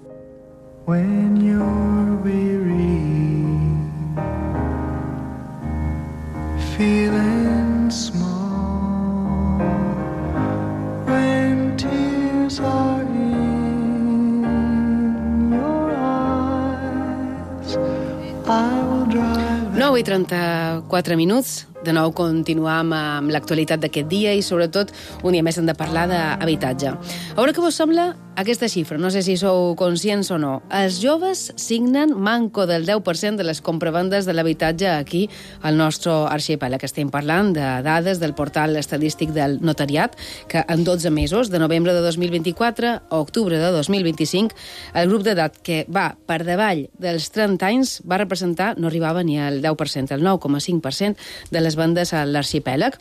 When you're weary, feeling small, when tears are in your eyes, I will drive. 9:34 minuts. De nou continuam amb l'actualitat d'aquest dia i sobretot un dia més hem de parlar d'habitatge. A veure què vos sembla aquesta xifra, no sé si sou conscients o no. Els joves signen manco del 10% de les compravendes de l'habitatge aquí al nostre arxipèlag. Estem parlant de dades del portal estadístic del notariat, que en 12 mesos, de novembre de 2024 a octubre de 2025, el grup d'edat que va per davall dels 30 anys va representar, no arribava ni al 10%, el 9,5% de les vendes a l'arxipèlag.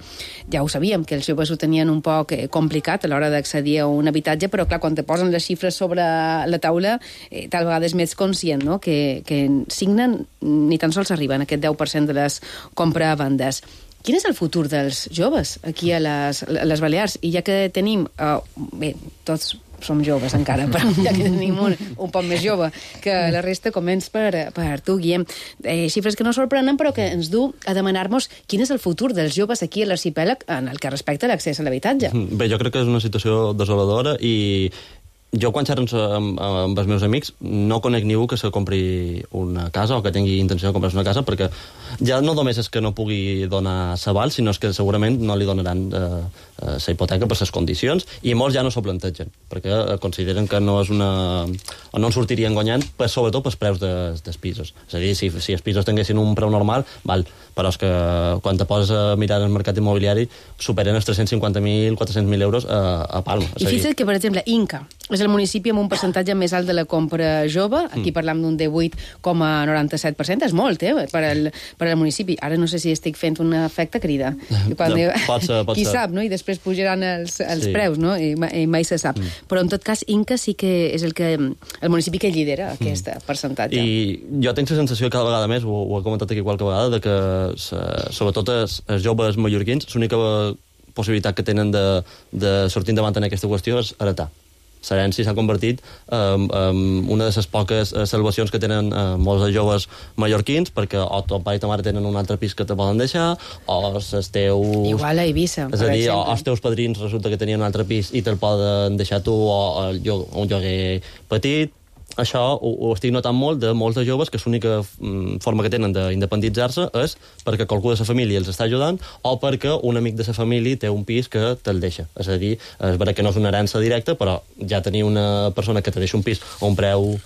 Ja ho sabíem, que els joves ho tenien un poc complicat a l'hora d'accedir a un habitatge, però clar, quan te posen les xifres sobre la taula, tal vegada és més conscient, no?, que signen, ni tan sols arriben a aquest 10% de les compravendes. Quin és el futur dels joves aquí a les Balears? I ja que tenim... bé, tots som joves encara, però ja que tenim un poc més jove que la resta, començ per tu, Guillem. Xifres que no sorprenen, però que ens du a demanar-nos quin és el futur dels joves aquí a l'arxipèlag en el que respecta l'accés a l'habitatge. Bé, jo crec que és una situació desoladora i jo, quan xerro amb els meus amics, no conec ningú que se compri una casa o que tingui intenció de comprar-se una casa, perquè ja no només és que no pugui donar s'aval, sinó que segurament no li donaran la hipoteca per les condicions, i molts ja no s'ho plantegen, perquè consideren que no és una... o no en sortirien guanyant, sobretot pels preus dels pisos. És a dir, si els pisos tinguessin un preu normal, val, però és que quan te poses a mirar el mercat immobiliari superen els 350.000, 400.000 euros a Palma. I fixa't que, per exemple, Inca és el municipi amb un percentatge més alt de la compra jove. Aquí parlam d'un 18,97%. És molt, per al municipi. Ara no sé si estic fent un efecte crida. Pot ser. Qui sap, no? I després pujaran els preus, no? I mai se sap. Però, en tot cas, Inca sí que és el municipi que lidera aquest percentatge. I jo tinc la sensació cada vegada més, ho he comentat aquí qualque vegada, de que sobretot els joves mallorquins, l'única possibilitat que tenen de sortir endavant en aquesta qüestió és heretar. L'herència s'ha convertit en una de les poques salvacions que tenen molts joves mallorquins, perquè o ton pare i ta mare tenen un altre pis que te poden deixar, o els teus... Igual a Eivissa, per exemple. És a dir, o els teus padrins resulta que tenien un altre pis i te'l poden deixar tu, o un lloguer petit. Això ho estic notant molt de molts de joves, que l'única forma que tenen d'independitzar-se és perquè qualcú de la família els està ajudant o perquè un amic de la família té un pis que te'l deixa. És a dir, és vera que no és una herència directa, però ja tenir una persona que te deixa un pis a un preu,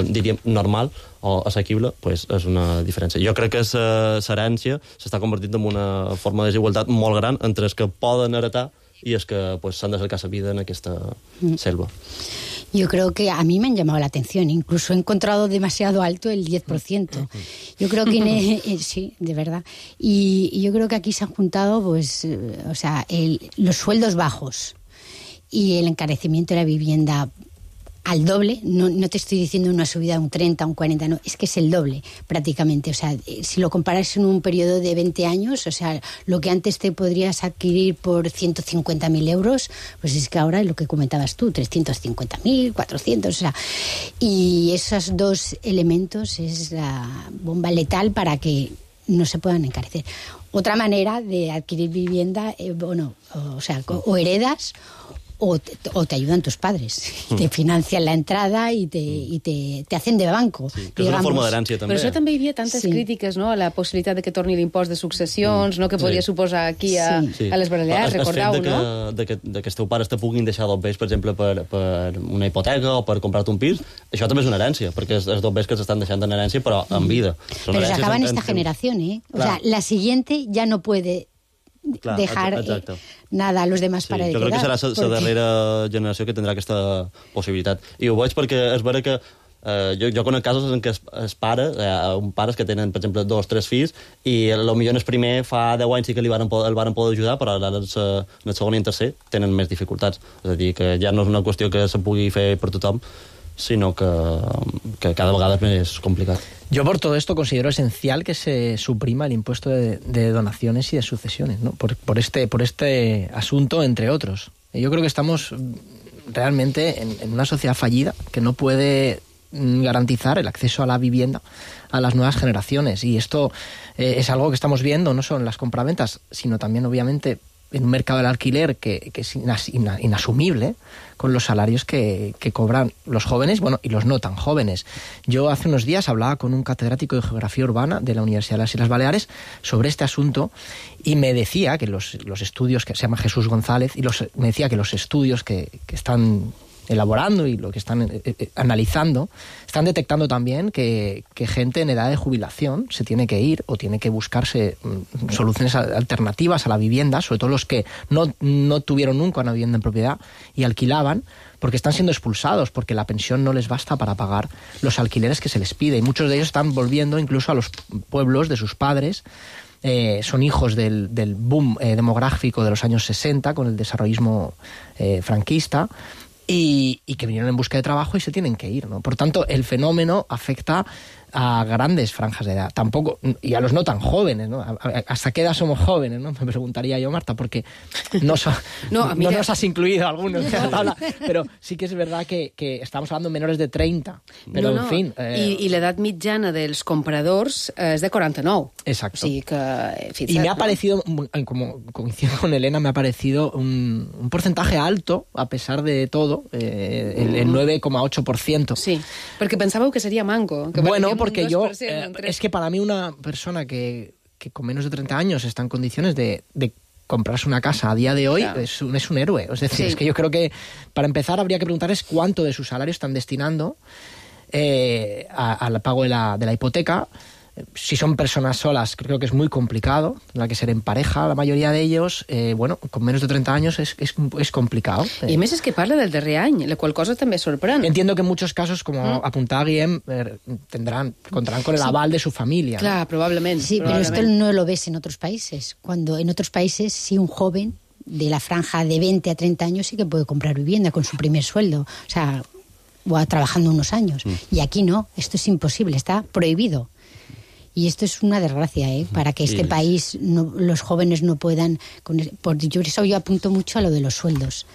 diríem, normal o assequible, pues és una diferència. Jo crec que l'herència s'està convertint en una forma de desigualtat molt gran entre els que poden heretar y es que pues s'han de cercar la vida en aquesta selva. Yo creo que a mí me han llamado la atención, incluso he encontrado demasiado alto el 10%. Yo creo que sí, de verdad. Y yo creo que aquí se han juntado pues los sueldos bajos y el encarecimiento de la vivienda al doble. No te estoy diciendo una subida de un 30, un 40, no, es que es el doble prácticamente. O sea, si lo comparas en un periodo de 20 años, o sea, lo que antes te podrías adquirir por 150.000 euros, pues es que ahora es lo que comentabas tú, 350.000, 400, o sea, y esos dos elementos es la bomba letal para que no se puedan encarecer. Otra manera de adquirir vivienda, o heredas, o te ayudan tus padres, te financian la entrada i te hacen de banco. Sí, que és una forma d'herència, també. Però això també hi havia tantes crítiques, no?, a la possibilitat de que torni l'impost de successions, no?, que podria suposar aquí a les Balears, recordeu, no? El fet de que els teus pares te puguin deixar dos béns, per exemple, per una hipoteca o per comprar-te un pis, això també és una herència, perquè els dos béns que s'estan deixant en herència, però en vida. Pero se acaba en esta generación, ¿eh? O sea, la siguiente ya no puede dejar nada a los demás para heredar. Jo crec que serà la darrera generació que tindrà aquesta possibilitat. I ho veig perquè és vera que jo conec casos en què els pares, pares que tenen, per exemple, 2 o 3 fills, i potser en el primer fa 10 anys sí que el van poder ajudar, però ara en el segon i en tercer tenen més dificultats. És a dir, que ja no és una qüestió que se pugui fer per tothom, sino que cada vegada es más complicado. Yo por todo esto considero esencial que se suprima el impuesto de donaciones y de sucesiones, ¿no? por este asunto, entre otros. Yo creo que estamos realmente en una sociedad fallida que no puede garantizar el acceso a la vivienda a las nuevas generaciones, y esto es algo que estamos viendo no solo en las compraventas, sino también obviamente en un mercado del alquiler que es inasumible con los salarios que cobran los jóvenes, bueno, y los no tan jóvenes. Yo hace unos días hablaba con un catedrático de Geografía Urbana de la Universidad de las Islas Baleares sobre este asunto, y me decía que los estudios, que se llama Jesús González, me decía que los estudios que están elaborando y lo que están analizando, están detectando también que gente en edad de jubilación se tiene que ir o tiene que buscarse soluciones alternativas a la vivienda, sobre todo los que no tuvieron nunca una vivienda en propiedad y alquilaban, porque están siendo expulsados, porque la pensión no les basta para pagar los alquileres que se les pide. Y muchos de ellos están volviendo incluso a los pueblos de sus padres. Son hijos del boom demográfico de los años 60, con el desarrollismo franquista, y que vinieron en busca de trabajo y se tienen que ir, ¿no? Por tanto, el fenómeno afecta a grandes franjas de edad, tampoco, y a los no tan jóvenes, ¿no? ¿Hasta qué edad somos jóvenes, no? Me preguntaría yo, Marta, porque no nos has incluido algunos en la tabla, pero sí que és verdad que estamos hablando de menores de 30, pero en fin... I l'edat mitjana dels compradors és de 49. Exacto. O sigui que... Y me ha parecido, como coincido con Elena, me ha parecido un porcentaje alto, a pesar de todo, el 9,8%. Sí, perquè pensàveu que seria manco. Que bueno, porque yo... es que para mí una persona que con menos de 30 años está en condiciones de comprarse una casa a día de hoy, claro, es un héroe. Es decir, es que yo creo que, para empezar, habría que preguntarles cuánto de su salario están destinando al pago de la hipoteca. Si son personas solas, creo que es muy complicado, tendrá que ser en pareja la mayoría de ellos. Bueno, con menos de 30 años es complicado. I a més és que parla del darrer any, la qual cosa també sorprèn. Entiendo que en muchos casos, como apuntaba Guillem, contarán con el aval de su familia. Claro, ¿no? Probablemente. Sí, pero esto no lo ves en otros países. Cuando en otros países, sí, un joven de la franja de 20 a 30 años sí que puede comprar vivienda con su primer sueldo. O sea, o trabajando unos años. Y aquí no, esto es imposible, está prohibido. Y esto es una desgracia, para que este país, los jóvenes no puedan... Por eso yo apunto mucho a lo de los sueldos.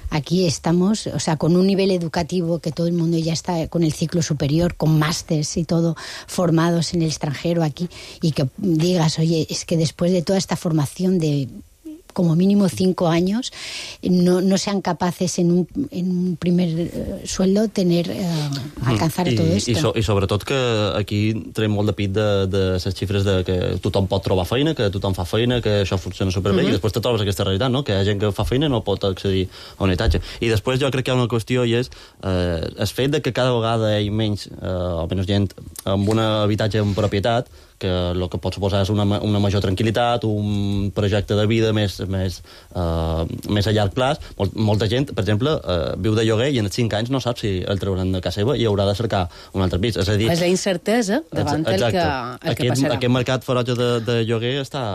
Aquí estamos, o sea, con un nivel educativo que todo el mundo ya está con el ciclo superior, con másters y todo, formados en el extranjero aquí, y que digas, oye, es que después de toda esta formación de como mínimo 5 años, no sean capaces en un primer sueldo alcanzar todo esto. I sobretot que aquí traiem molt de pit de les xifres de que tothom pot trobar feina, que tothom fa feina, que això funciona superbé, i després te trobes aquesta realitat, no? Que hi ha gent que fa feina i no pot accedir a un habitatge. I després jo crec que hi ha una qüestió, i és el fet de que cada vegada hi ha menys o menys gent amb un habitatge en propietat, que el que pot suposar és una major tranquil·litat, un projecte de vida més a llarg plaç. Molta gent, per exemple, viu de lloguer i en 5 anys no sap si el trauran de casa seva i haurà de cercar un altre pis. És a dir... És la incertesa davant el que passarà. Aquest mercat ferotge de lloguer està...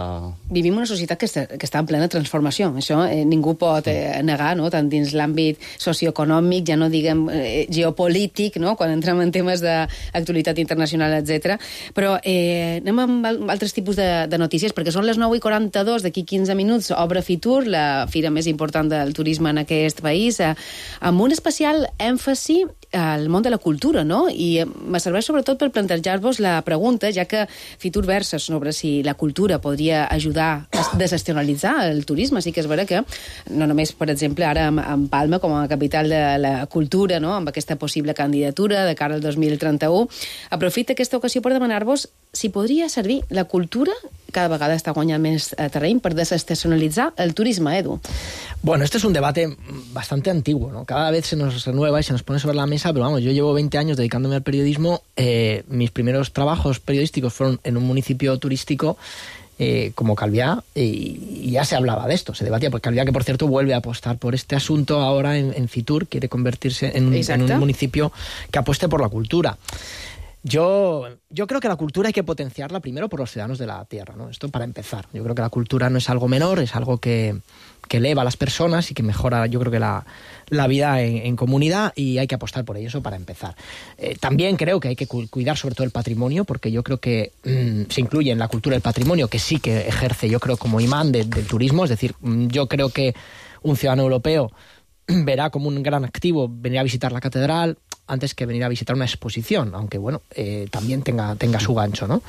Vivim una societat que està en plena transformació. Això ningú pot negar, no? Tant dins l'àmbit socioeconòmic, ja no diguem geopolític, no? Quan entrem en temes d'actualitat internacional, etc. Però anem amb altres tipus de notícies, perquè són les 9:42, d'aquí 15 minuts obre Fitur, la fira més important del turisme en aquest país, amb un especial èmfasi al món de la cultura, no? I me serveix sobretot per plantejar-vos la pregunta, ja que Fitur versa sobre si la cultura podria ajudar a desestacionalitzar el turisme. Sí que és vera que, no només, per exemple, ara amb Palma com a capital de la cultura, no? Amb aquesta possible candidatura de cara al 2031, aprofita aquesta ocasió per demanar-vos si podria servir la cultura, cada vegada està guanyant més terreny, per desestacionalitzar el turisme, Edu. Bueno, este es un debate bastante antiguo, ¿no? Cada vez se nos renueva y se nos pone sobre la mesa, pero vamos, yo llevo 20 años dedicándome al periodismo. Mis primeros trabajos periodísticos fueron en un municipio turístico como Calviá, y ya se hablaba de esto, se debatía, porque Calviá, que por cierto vuelve a apostar por este asunto ahora en Fitur, quiere convertirse en un municipio que apueste por la cultura. Yo creo que la cultura hay que potenciarla primero por los ciudadanos de la tierra, ¿no? Esto para empezar. Yo creo que la cultura no es algo menor, es algo que eleva a las personas y que mejora, yo creo que la vida en comunidad, y hay que apostar por ello, eso para empezar. También creo que hay que cuidar sobre todo el patrimonio, porque yo creo que se incluye en la cultura el patrimonio, que sí que ejerce, yo creo, como imán del turismo. Es decir, yo creo que un ciudadano europeo verá como un gran activo venir a visitar la catedral antes que venir a visitar una exposición, aunque bueno, también tenga su gancho, ¿no?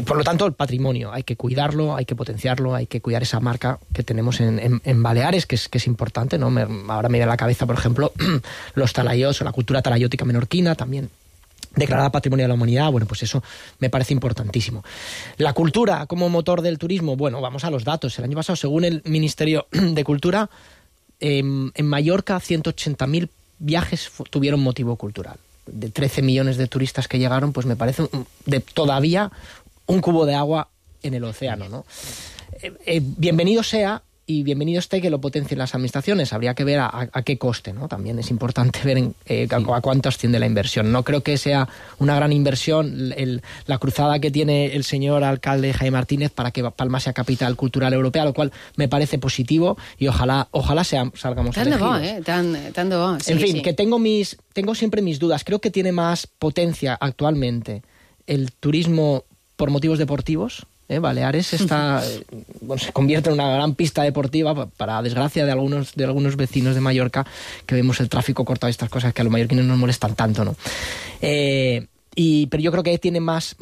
Por lo tanto, el patrimonio hay que cuidarlo, hay que potenciarlo, hay que cuidar esa marca que tenemos en Baleares, que es importante, ¿no? Ahora me viene a la cabeza, por ejemplo, los talayots o la cultura talayótica menorquina, también declarada Patrimonio de la Humanidad. Bueno, pues eso me parece importantísimo. La cultura como motor del turismo, bueno, vamos a los datos. El año pasado, según el Ministerio de Cultura, en Mallorca 180.000 viajes tuvieron motivo cultural. De 13 millones de turistas que llegaron, pues me parece todavía un cubo de agua en el océano, ¿no? Bienvenido sea y bienvenido esté que lo potencien las administraciones. Habría que ver a qué coste, ¿no? También es importante ver a cuánto asciende la inversión. No creo que sea una gran inversión la cruzada que tiene el señor alcalde Jaime Martínez para que Palma sea capital cultural europea, lo cual me parece positivo y ojalá salgamos elegidos. Tan de bo. Sí, en fin, sí. que tengo siempre mis dudas. Creo que tiene más potencia actualmente el turismo por motivos deportivos. Baleares se convierte en una gran pista deportiva, para desgracia de algunos vecinos de Mallorca, que vemos el tráfico cortado y estas cosas que a los mallorquines nos molestan tanto, ¿no? Però jo crec que tiene más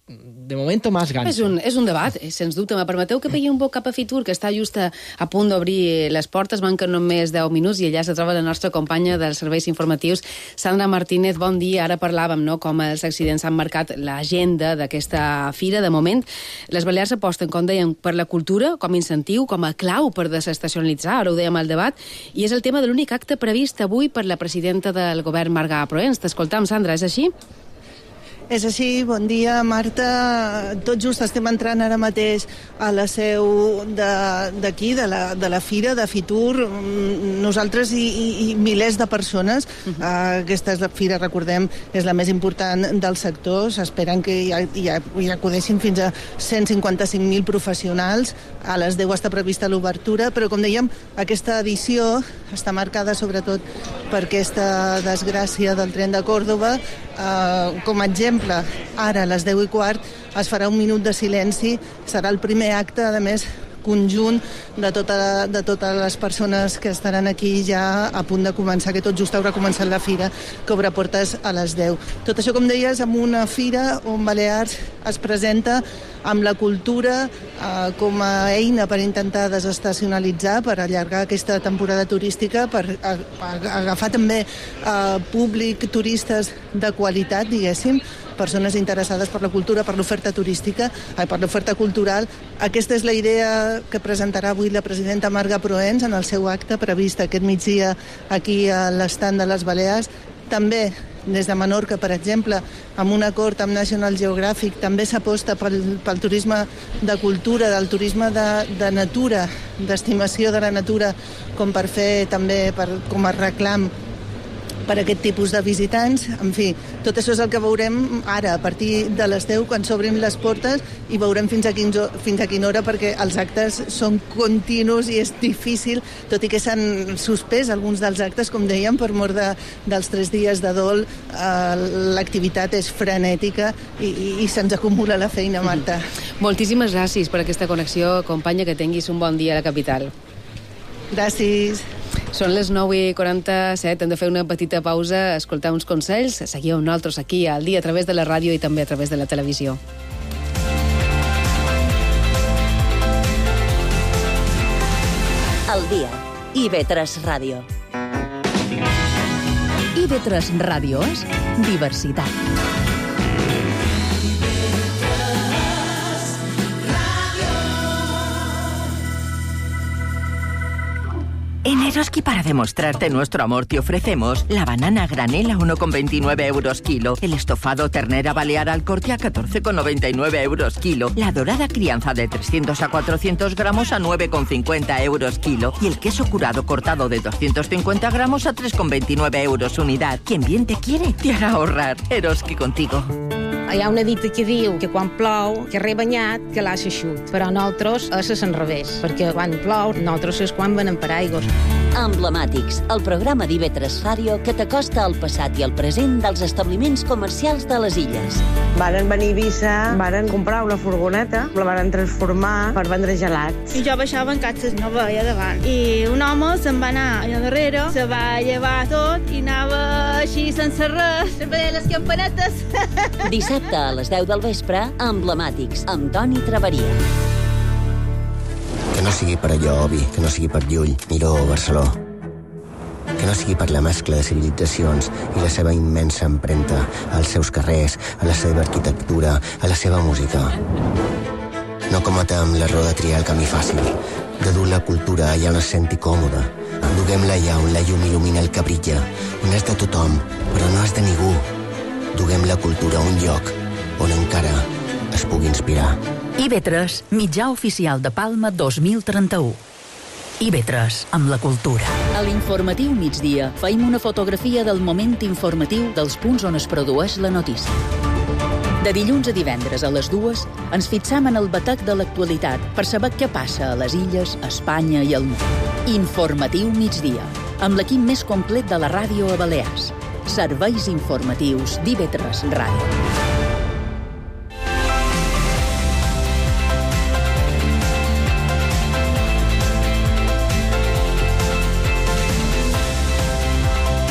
de momento, más gancho. És un debat, sens dubte. Me permeteu que pegui un poc cap a Fitur, que està just a punt d'obrir les portes, manquen només 10 minuts, i allà se troba la nostra companya dels serveis informatius, Sandra Martínez. Bon dia. Ara parlàvem, no?, com els accidents han marcat l'agenda d'aquesta fira. De moment, les Balears aposten, com dèiem, per la cultura com a incentiu, com a clau per desestacionalitzar, ara ho dèiem al debat, i és el tema de l'únic acte previst avui per la presidenta del govern, Marga Proens. T'escoltam, Sandra, és així? És així, bon dia, Marta. Tot just estem entrant ara mateix a la seu d'aquí, de la fira, de Fitur. Nosaltres i milers de persones. Aquesta és la fira, recordem, és la més important del sector. S'esperen que hi acudeixin fins a 155.000 professionals. A les 10 està prevista l'obertura, però, com dèiem, aquesta edició està marcada sobretot per aquesta desgràcia del tren de Còrdova. Com a exemple, ara a les 10:15 es farà un minut de silenci. Serà el primer acte, a més, conjunt de totes les persones que estaran aquí ja a punt de començar, que tot just haurà començat la fira, que obre portes a les 10. Tot això, com deies, amb una fira on Balears es presenta amb la cultura com a eina per intentar desestacionalitzar, per allargar aquesta temporada turística, per agafar també públic, turistes de qualitat, diguéssim, persones interessades per la cultura, per l'oferta turística, per l'oferta cultural. Aquesta és la idea que presentarà avui la presidenta Marga Proens en el seu acte previst aquest migdia aquí a l'estand de les Balears. També des de Menorca, per exemple, amb un acord amb National Geographic, també s'aposta pel turisme de cultura, del turisme de natura, d'estimació de la natura, com per fer també com a reclam per aquest tipus de visitants. En fi, tot això és el que veurem ara, a partir de les 10, quan s'obrin les portes, i veurem fins a quina hora, perquè els actes són continus i és difícil, tot i que s'han suspès alguns dels actes, com dèiem, per mort dels 3 dies de dol. L'activitat és frenètica i se'ns acumula la feina, Marta. Moltíssimes gràcies per aquesta connexió, companya, que tinguis un bon dia a la capital. Gràcies. Són les 9:47, hem de fer una petita pausa, escoltar uns consells. Seguiu amb nosaltres aquí al dia a través de la ràdio i també a través de la televisió. El dia. IB3 Ràdio. IB3 Ràdio és diversitat. En Eroski, para demostrarte nuestro amor, te ofrecemos la banana granel a 1,29 euros kilo, el estofado ternera balear al corte a 14,99 euros kilo, la dorada crianza de 300 a 400 gramos a 9,50 euros kilo y el queso curado cortado de 250 gramos a 3,29 euros unidad. Quien bien te quiere, te hará ahorrar. Eroski contigo. Hi ha una dita que diu que quan plou, que rebanyat, que l'ha eixut. Però nosaltres és al revés, perquè quan plou, nosaltres és quan venem paraigües. Emblemàtics, el programa d'IB3 Ràdio que t'acosta al passat i al present dels establiments comercials de les illes. Varen venir a Eivissa, varen comprar una furgoneta, la varen transformar per vendre gelats. I jo baixava en catxes, no veia davant. I un home se'n va anar allà darrere, se va llevar tot i anava així sense res, veia les campanetes. Dissabte a les 10 del vespre, Emblemàtics, amb Toni Traveria. Que no sigui per allò, Obi, que no sigui per Llull, Miró o Barceló. Que no sigui per la mescla de civilitzacions i la seva immensa empremta als seus carrers, a la seva arquitectura, a la seva música. No cometem l'error de triar el camí fàcil, de dur la cultura allà on es senti còmode, Duguem-la allà on la llum il·lumina el que brilla, on és de tothom, però no és de ningú. Duguem la cultura a un lloc on encara es pugui inspirar. IB3, mitjà oficial de Palma 2031. IB3, amb la cultura. A l'informatiu migdia feim una fotografia del moment informatiu dels punts on es produeix la notícia. De dilluns a divendres a les 2 ens fixam en el batec de l'actualitat per saber què passa a les illes, a Espanya i al món. Informatiu migdia, amb l'equip més complet de la ràdio a Balears. Serveis informatius d'IB3 Ràdio.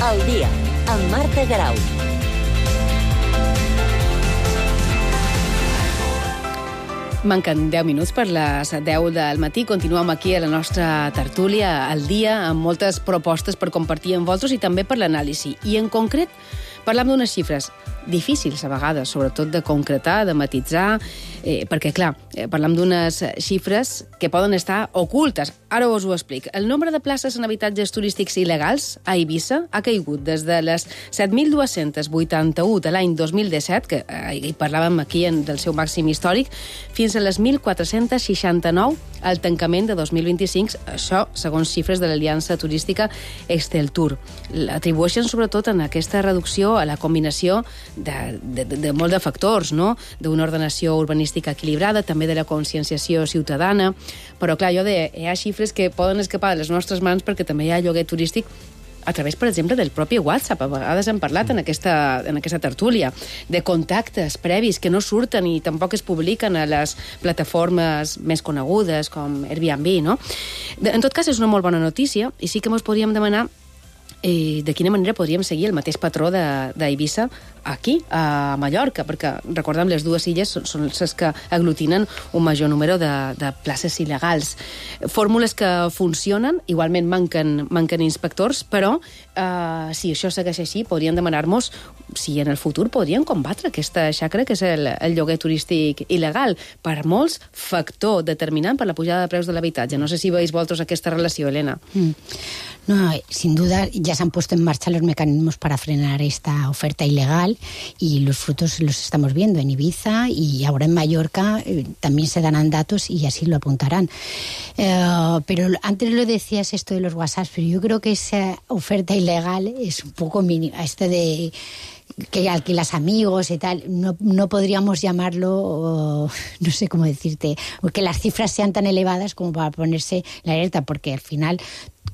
Al dia, amb Marta Garau. Manquen 10 minuts per les 10 del matí. Continuem aquí a la nostra tertúlia al dia amb moltes propostes per compartir amb vosaltres i també per l'anàlisi. I en concret parlam d'unes xifres difícils a vegades, sobretot de concretar, de matitzar, perquè, clar, parlam d'unes xifres que poden estar ocultes. Ara us ho explic. El nombre de places en habitatges turístics il·legals a Eivissa ha caigut des de les 7.281 de l'any 2017, que hi parlàvem aquí del seu màxim històric, fins a les 1.469 al tancament de 2025, això segons xifres de l'Aliança Turística Exceltur. L'atribueixen sobretot en aquesta reducció a la combinació de molts de factors, no? D'una ordenació urbanística equilibrada, també de la conscienciació ciutadana, però clar, hi ha xifres que poden escapar de les nostres mans perquè també hi ha lloguer turístic a través, per exemple, del propi WhatsApp. A vegades hem parlat en aquesta tertúlia de contactes previs que no surten i tampoc es publiquen a les plataformes més conegudes com Airbnb, no? En tot cas, és una molt bona notícia i sí que ens podríem demanar de quina manera podríem seguir el mateix patró d'Eivissa aquí, a Mallorca, perquè, recordem, les dues illes són les que aglutinen un major número de places il·legals. Fórmules que funcionen, igualment manquen inspectors, però si això segueix així, podrien demanar-nos si en el futur podrien combatre aquesta xacra que és el lloguer turístic il·legal. Per molts, factor determinant per la pujada de preus de l'habitatge. No sé si veis vosaltres aquesta relació, Elena. No, sin duda ya se han puesto en marcha los mecanismos para frenar esta oferta ilegal y los frutos los estamos viendo en Ibiza y ahora en Mallorca también se darán datos y así lo apuntarán. Pero antes lo decías esto de los WhatsApp, pero yo creo que esa oferta ilegal es un poco mínima, de que alquilas amigos y tal, no podríamos llamarlo, no sé cómo decirte, que las cifras sean tan elevadas como para ponerse la alerta, porque al final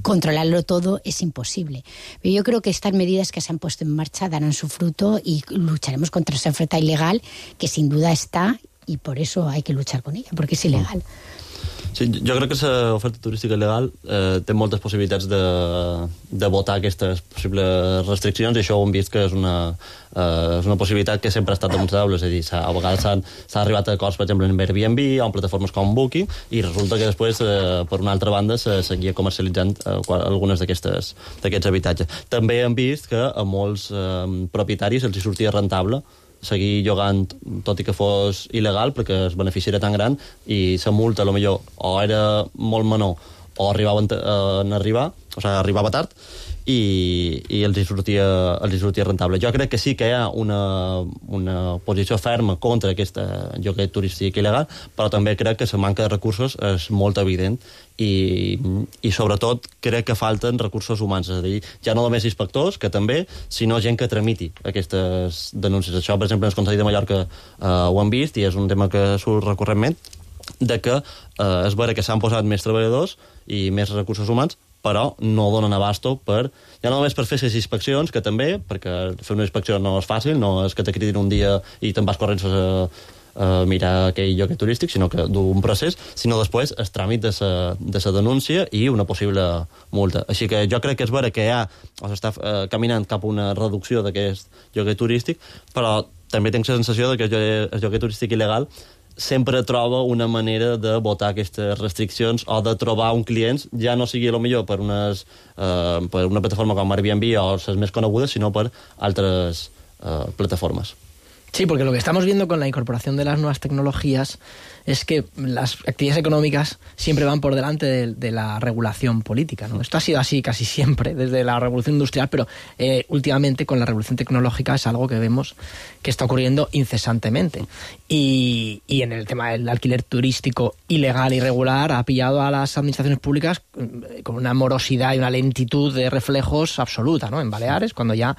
controlarlo todo es imposible. Pero yo creo que estas medidas que se han puesto en marcha darán su fruto y lucharemos contra esa oferta ilegal que sin duda está y por eso hay que luchar con ella, porque es ilegal. Sí, jo crec que l'oferta turística il·legal té moltes possibilitats de votar aquestes possibles restriccions i això ho hem vist que és una possibilitat que sempre ha estat damunt la taula, és a dir, a vegades s'ha arribat a acords, per exemple, en Airbnb o en plataformes com Booking i resulta que després, per una altra banda, se seguia comercialitzant algunes d'aquests habitatges. També hem vist que a molts propietaris els hi sortia rentable seguir llogant, tot i que fos il·legal, perquè el benefici era tan gran i la multa, potser, o era molt menor o arribava tard i els hi sortia rentable. Jo crec que sí que hi ha una posició ferma contra aquest lloguer turístic il·legal, però també crec que la manca de recursos és molt evident i sobretot crec que falten recursos humans, és a dir, ja no només inspectors, que també, sinó gent que tramiti aquestes denúncies. Això, per exemple, en el Consell de Mallorca ho hem vist i és un tema que surt recurrentment, de que és vera que s'han posat més treballadors i més recursos humans, però no donen abasto ja no només per fer les inspeccions, que també, perquè fer una inspecció no és fàcil, no és que te cridin un dia i te'n vas corrents a mirar aquell lloc turístic, sinó que d'un procés, sinó després el tràmit de la denúncia i una possible multa. Així que jo crec que és vera que s'està caminant cap a una reducció d'aquest lloguer turístic, però també tinc la sensació que el lloguer turístic il·legal sempre troba una manera de votar aquestes restriccions o de trobar un client, ja no sigui millor per una plataforma com Airbnb o les més conegudes, sinó per altres plataformes. Sí, porque lo que estamos viendo con la incorporación de las nuevas tecnologías es que las actividades económicas siempre van por delante de la regulación política, ¿no? Esto ha sido así casi siempre, desde la revolución industrial, pero últimamente con la revolución tecnológica es algo que vemos que está ocurriendo incesantemente. Y en el tema del alquiler turístico ilegal e irregular ha pillado a las administraciones públicas con una morosidad y una lentitud de reflejos absoluta, ¿no? En Baleares, cuando ya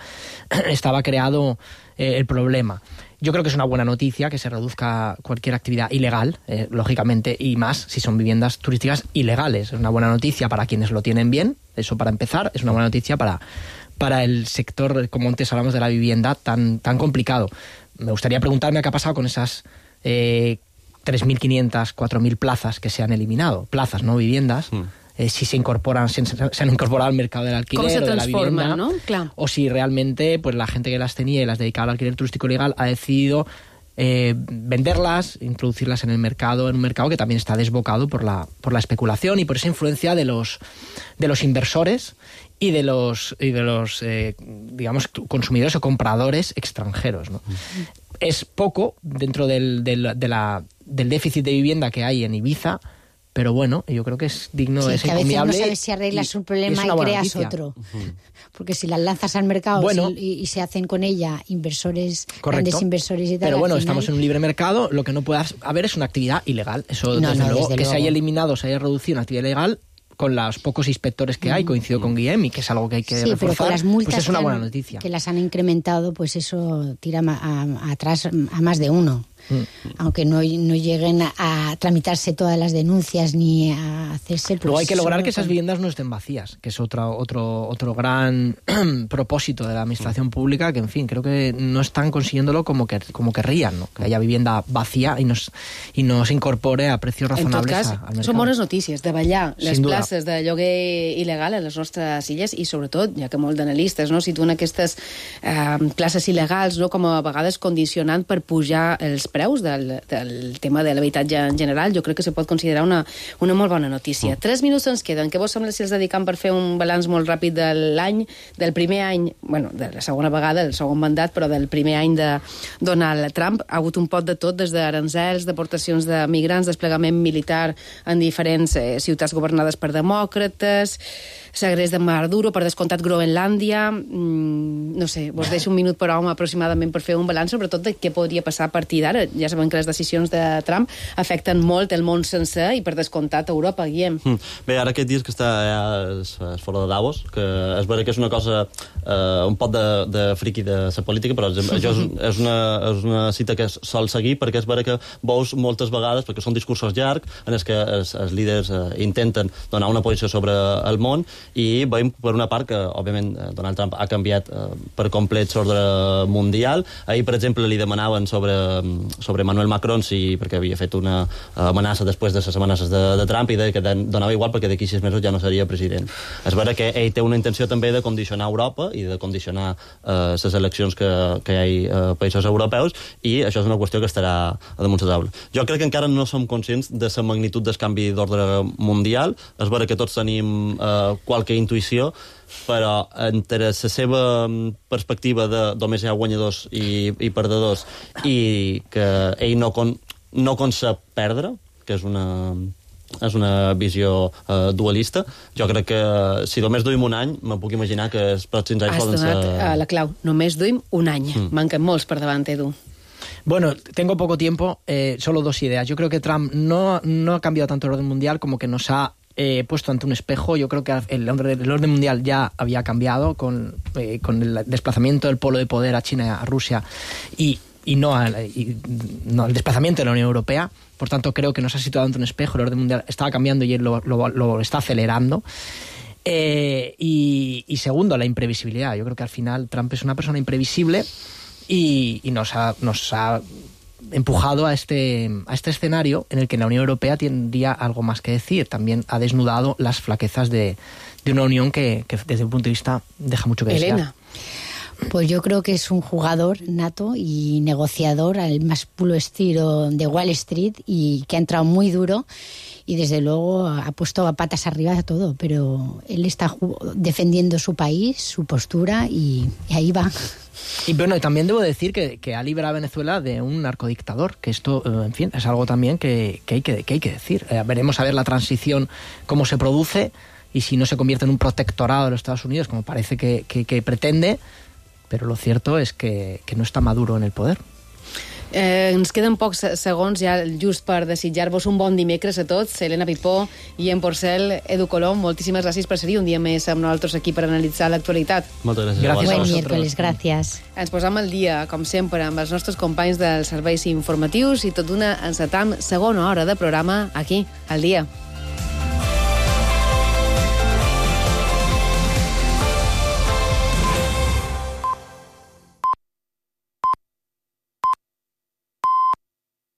estaba creado el problema. Yo creo que es una buena noticia que se reduzca cualquier actividad ilegal, lógicamente, y más si son viviendas turísticas ilegales. Es una buena noticia para quienes lo tienen bien, eso para empezar. Es una buena noticia para el sector, como antes hablamos, de la vivienda tan complicado. Me gustaría preguntarme qué ha pasado con esas 3.500, 4.000 plazas que se han eliminado. Plazas, no viviendas. Si se incorporan, se han incorporado al mercado del alquiler o de la vivienda, ¿no? Claro. O si realmente pues la gente que las tenía y las dedicaba al alquiler turístico legal ha decidido venderlas, introducirlas en un mercado que también está desbocado por la especulación y por esa influencia de los inversores y de los digamos, consumidores o compradores extranjeros, ¿no? Es poco dentro del déficit de vivienda que hay en Ibiza, pero bueno, yo creo que es digno, sí, es que a veces encomiable. No sabes si arreglas un problema y creas otro. Porque si las lanzas al mercado y se hacen con ella inversores, grandes inversores y tal. Pero bueno, al final... estamos en un libre mercado, lo que no puede haber es una actividad ilegal. Eso, desde luego, que se haya eliminado, se haya reducido una actividad ilegal con los pocos inspectores que hay, coincido con Guillem, y que es algo que hay que reforzar, pero con las multas pues es una buena noticia. Que las han incrementado, pues eso tira atrás a más de uno. Aunque no lleguen a tramitarse todas las denuncias ni a hacerse... Pues, luego hay que lograr que esas viviendas no estén vacías, que es otro gran propósito de la administración pública, que en fin, creo que no están consiguiéndolo como querrían, ¿no? Que haya vivienda vacía y no se incorpore a precios razonables al mercado. Són bones notícies, davallar les places de lloguer il·legal a les nostres illes i sobretot, ja que molts d'analistes situen aquestes places il·legals com a vegades condicionant per pujar els preus del tema de l'habitatge en general. Jo crec que se pot considerar una molt bona notícia. 3 minuts ens queden. Què vos sembla si els dedicam per fer un balanç molt ràpid de l'any, del primer any, bueno, de la segona vegada, del segon mandat, però del primer any de Donald Trump? Ha hagut un pot de tot, des d'aranzels, deportacions de migrants, desplegament militar en diferents ciutats governades per demòcrates, segrest de Maduro, per descomptat Groenlàndia, no sé, vos deixo un minut per home aproximadament per fer un balanç, sobretot de què podria passar a partir d'ara. Ja sabem que les decisions de Trump afecten molt el món sencer i per descomptat Europa, Guillem. Bé, ara aquests dies que està ja fora de Davos, que és vera que és una cosa un pot de friqui de la política, però això és una cita que sol seguir, perquè és vera que veus moltes vegades, perquè són discursos llargs en els que els líders intenten donar una posició sobre el món, i veiem per una part que, òbviament, Donald Trump ha canviat per complet l'ordre mundial. Ahir, per exemple, li demanaven sobre Emmanuel Macron, perquè havia fet una amenaça després de les amenaces de Trump, i que donava igual perquè d'aquí 6 mesos ja no seria president. És vera que ell té una intenció també de condicionar Europa i de condicionar les eleccions que hi ha a països europeus, i això és una qüestió que estarà a damunt la taula. Jo crec que encara no som conscients de la magnitud del canvi d'ordre mundial. És vera que tots tenim qualque intuïció, però entre la seva perspectiva de només hi ha guanyadors i perdedors, i que ell no concep perdre, que és una visió dualista, jo crec que si només duim un any, me puc imaginar que els pròxims anys poden ser... Has donat la clau. Només duim un any. Manquen molts per davant, Edu. Bueno, tengo poco tiempo, solo 2 ideas. Yo creo que Trump no ha cambiado tanto el orden mundial como que nos ha puesto ante un espejo. Yo creo que el orden mundial ya había cambiado con el desplazamiento del polo de poder a China y a Rusia y no el desplazamiento de la Unión Europea. Por tanto, creo que nos ha situado ante un espejo. El orden mundial estaba cambiando y él lo está acelerando. Y segundo, la imprevisibilidad. Yo creo que al final Trump es una persona imprevisible y nos ha empujado a este escenario en el que la Unión Europea tendría algo más que decir. También ha desnudado las flaquezas de una Unión que desde un punto de vista deja mucho que desear. Elena. Pues yo creo que es un jugador nato y negociador al más puro estilo de Wall Street, y que ha entrado muy duro y desde luego ha puesto a patas arriba a todo, pero él está defendiendo su país, su postura, y ahí va. Y bueno, y también debo decir que ha liberado a Venezuela de un narcodictador, que esto, en fin, es algo también que hay que decir. Veremos a ver la transición, cómo se produce, y si no se convierte en un protectorado de los Estados Unidos, como parece que pretende, pero lo cierto es que no está Maduro en el poder. Ens queden pocs segons ja just per desitjar-vos un bon dimecres a tots. Helena Pipó i en Porcel, Edu Colom, moltíssimes gràcies per ser-hi un dia més amb nosaltres aquí per analitzar l'actualitat. Moltes gràcies. Gracias. Buen miércoles, gracias. Ens posam al dia, com sempre, amb els nostres companys dels serveis informatius i tot d'una encetam segona hora de programa aquí, al dia.